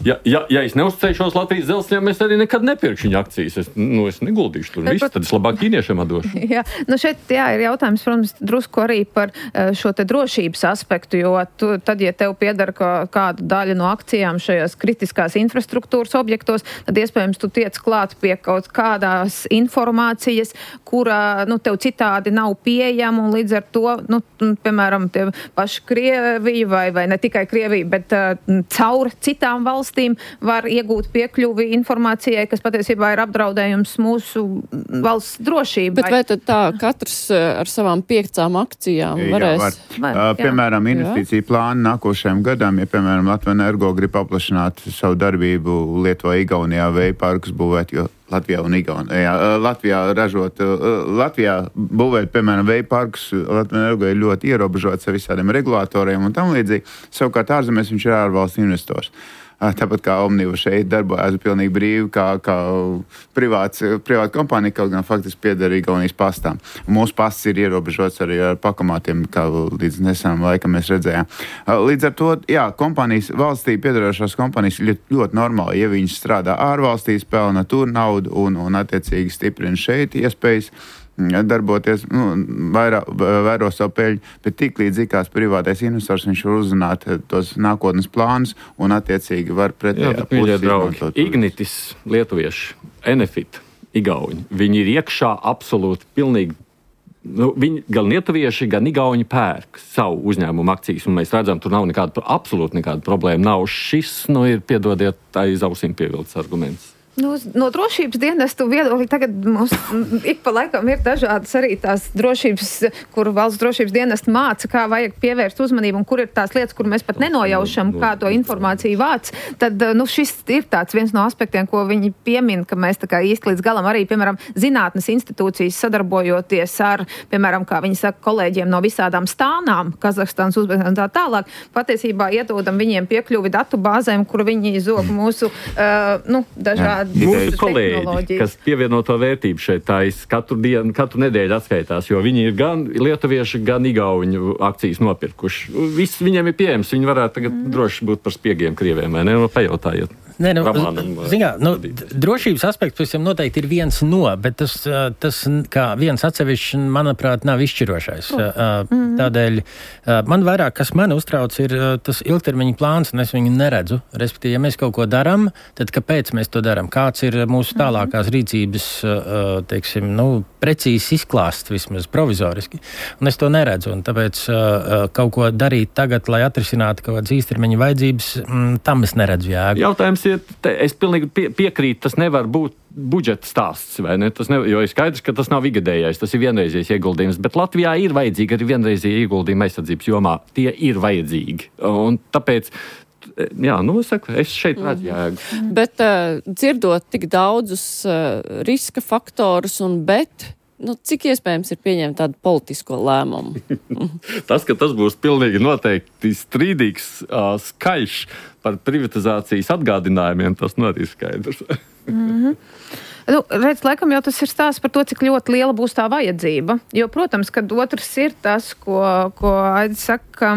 ja, ja, ja es neuzticēšos Latvijas dzelzceļam, es arī nekad nepirkšu viņa akcijas. Es, nu, es neguldīšu tur visu, tad es labāk ķīniešiem atdošu.
Jā, nu šeit jā, ir jautājums, protams, drusku arī par šo te drošības aspektu, jo tu, tad, ja tev piedara kā, kāda daļa no akcijām šajās kritiskās infrastruktūras objektos, tad iespējams tu tiec klāt pie kaut kādās informācijas, kura, nu, tev citādi nav pieejama, un līdz ar to, nu, piemēram, tie paši Krievija vai, vai ne tikai Krievija, bet uh, caur citām valstīm valstīm var iegūt piekļuvi informācijai, kas patiesībā ir apdraudējums mūsu valsts drošībai.
Bet vai tad tā katrs ar savām piekcām akcijām varēs?
Jā, var. Uh, piemēram, investīcija plāni nākošajam gadam, ja, piemēram, Latvija Energo grib paplašināt savu darbību Lietuvā, Igaunijā, vēja parkus būvēt, jo Latvijā un Igaunijā. Latvijā ražot, Latvijā būvēt, piemēram, vēja parkus, Latvija Energo ir ļoti ierobežots ar visādiem regulātoriem un tam līdzīgi. Savukārt ārzemēs viņš ir ārvalstu investors. Tāpat kā Omniva šeit darbojas pilnīgi brīvi, kā, kā privāts, privāta kompānija, kaut gan faktiski pieder Igaunijas pastām. Mūsu pasts ir ierobežots arī ar pakamātiem, kā līdz nesenam laikam mēs redzējām. Līdz ar to, jā, kompānijas, valstī piedarošās kompānijas ļoti, ļoti normāli, ja viņas strādā ārvalstīs, pelna tur naudu un, un attiecīgi stiprina šeit iespējas darboties, nu, vairā, vēro savu peļņu, bet tik līdz ikās privātais investors, viņš var uzzināt tos nākotnes plānus un attiecīgi var pretējā pusi izmantot.
Ignitis, lietuvieši, Enefit, Igauņi, viņi ir iekšā absolūti pilnīgi, nu, viņi gan lietuvieši, gan Igauņi pērk savu uzņēmumu akcijas, un mēs redzam, tur nav nekāda, absolūti nekāda problēma. Nav šis, nu, ir, piedodiet, aiz ausīm pievilkts arguments.
No, no drošības dienestu viedokļa tagad mums ik pa laikam ir dažādas arī tās drošības, kur valsts drošības dienestu māca, kā vajag pievērst uzmanību un kur ir tās lietas, kur mēs pat nenojaušam, kā to informāciju vāc. Tad, nu, šis ir tāds viens no aspektiem, ko viņi piemin, ka mēs tā kā īsti līdz galam arī, piemēram, zinātnes institūcijas sadarbojoties ar, piemēram, kā viņi saka, kolēģiem no visādām stānām, Kazahstānas, Uzbekistānas un tā tālāk, patiesībā iedodam viņiem piekļuvi datu bāzēm, kur viņi zog mūsu, uh, nu, dažādi
mūsu kolēģi, kas pievienoto vērtību šeit tais katru dienu, katru nedēļu atskaitās, jo viņi ir gan lietuvieši, gan igauņu akcijas nopirkuši. Viss viņiem ir pieejams, viņi varētu tagad mm. droši būt par spiegiem Krieviem, vai ne? No, pajautājiet.
Nē, nu, zin, nu, drošības aspekts, protams, noteikti ir viens no, bet tas, tas kā viens atsevišķi, manuprāt, nav izšķirošais. Mm-hmm. Tādēļ man vairāk, kas mani uztrauc, ir tas ilgtermiņa plāns, un es viņu neredzu. Respektīvi, ja mēs kaut ko darām, tad kāpēc mēs to darām? Kāds ir mūsu tālākās rīcības, teiksim, nu, precīzi izklāsts, vismaz provizoriski. Un es to neredzu, un tāpēc kaut ko darīt tagad, lai atrisinātu kaut kādas īstermiņa vajadzības, tam es neredzu jēgu.
Jautājums ir, te, es pilnīgi pie, piekrītu, tas nevar būt budžeta stāsts, vai ne? Tas nevar, jo ir skaidrs, ka tas nav ikgadējais, tas ir vienreizējs ieguldījums, bet Latvijā ir vajadzīgi arī vienreizie ieguldījumi aizsardzības jomā. Tie ir vajadzīgi, un tāpēc jā, nu, saku, es šeit redzu jēgu.
Mm. Bet uh, dzirdot tik daudzus uh, riska faktorus un bet, nu, cik iespējams ir pieņemt tādu politisko lēmumu?
Tas, ka tas būs pilnīgi noteikti strīdīgs, uh, skaļš par privatizācijas atgādinājumiem, tas nu arī skaidrs.
Mm-hmm. Nu, redz, laikam jau tas ir stāsts par to, cik ļoti liela būs tā vajadzība. Jo, protams, kad otrs ir tas, ko, ko Aidis saka,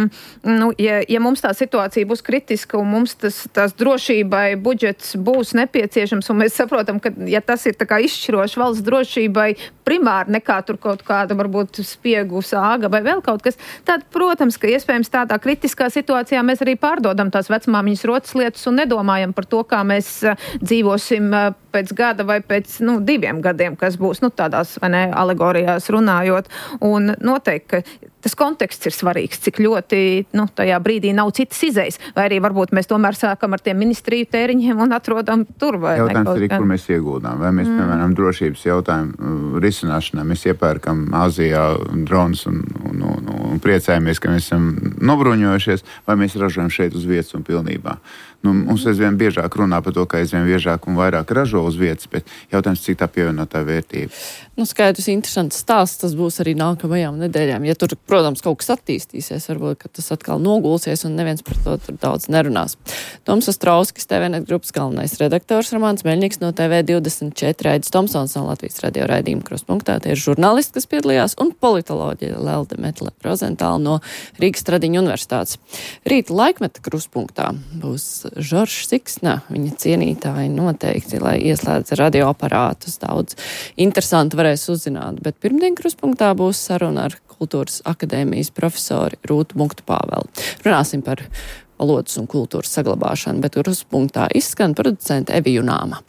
nu, ja, ja mums tā situācija būs kritiska un mums tas, tās drošībai budžets būs nepieciešams, un mēs saprotam, ka ja tas ir tā kā izšķiroši valsts drošībai primāri nekā tur kaut kāda varbūt spiegu sāga vai vēl kaut kas, tad, protams, ka iespējams tādā kritiskā situācijā mēs arī pārdodam tās vecmāmiņas rotas lietas un nedomājam par to, kā mēs dzīvosim pēc gada vai pēc, nu, diviem gadiem, kas būs, nu, tādās, vai ne, alegorijās runājot. Un noteikti, ka tas konteksts ir svarīgs, cik ļoti, nu, tajā brīdī nav citas izejas. Vai arī varbūt mēs tomēr sākam ar tiem ministriju tēriņiem un atrodam tur vai ne.
Jautājums arī, kur mēs ieguldām. Vai mēs, mm. piemēram, drošības jautājumu risināšanā mēs iepērkam Āzijā dronus un, un, un, un priecājamies, ka mēs esam nobruņojušies, vai mēs ražojam šeit uz vietas un pilnībā. Nu, mums aizvien biežāk runā par to, ka aizvien biežāk un vairāk ražo uz vietas, bet jautājums, cik tā pievienotā vērtība.
Nu, skaidrs, interesants stāsts, tas būs arī nākamajām nedēļām. Ja tur, protams, kaut kas attīstīsies, varbūt, ka tas atkal nogulsies un neviens par to tur daudz nerunās. Toms Ostrauskis, T V net grupas galvenais redaktors, Romāns Meļņiks no T V divdesmit četri, Aidis Tomsons no Latvijas radio raidījuma Krustpunktā, tie ir žurnālisti, kas piedalījās, un politoloģija Lelde Metle Rozentāla no Rīgas Tradiņu universitātes. Rīta laikmeta Krustpunktā būs Žoržs Siksna, viņa cienītāji noteikti, lai ieslēdz radioaparātus, daudz interesanti varēs uzzināt, bet pirmdien Krustpunktā būs saruna ar Kultūras akadēmijas profesori Rūtu Muktu Pāvelu. Runāsim par valodas un kultūras saglabāšanu, bet Krustpunktā izskan producente Evija Junāma.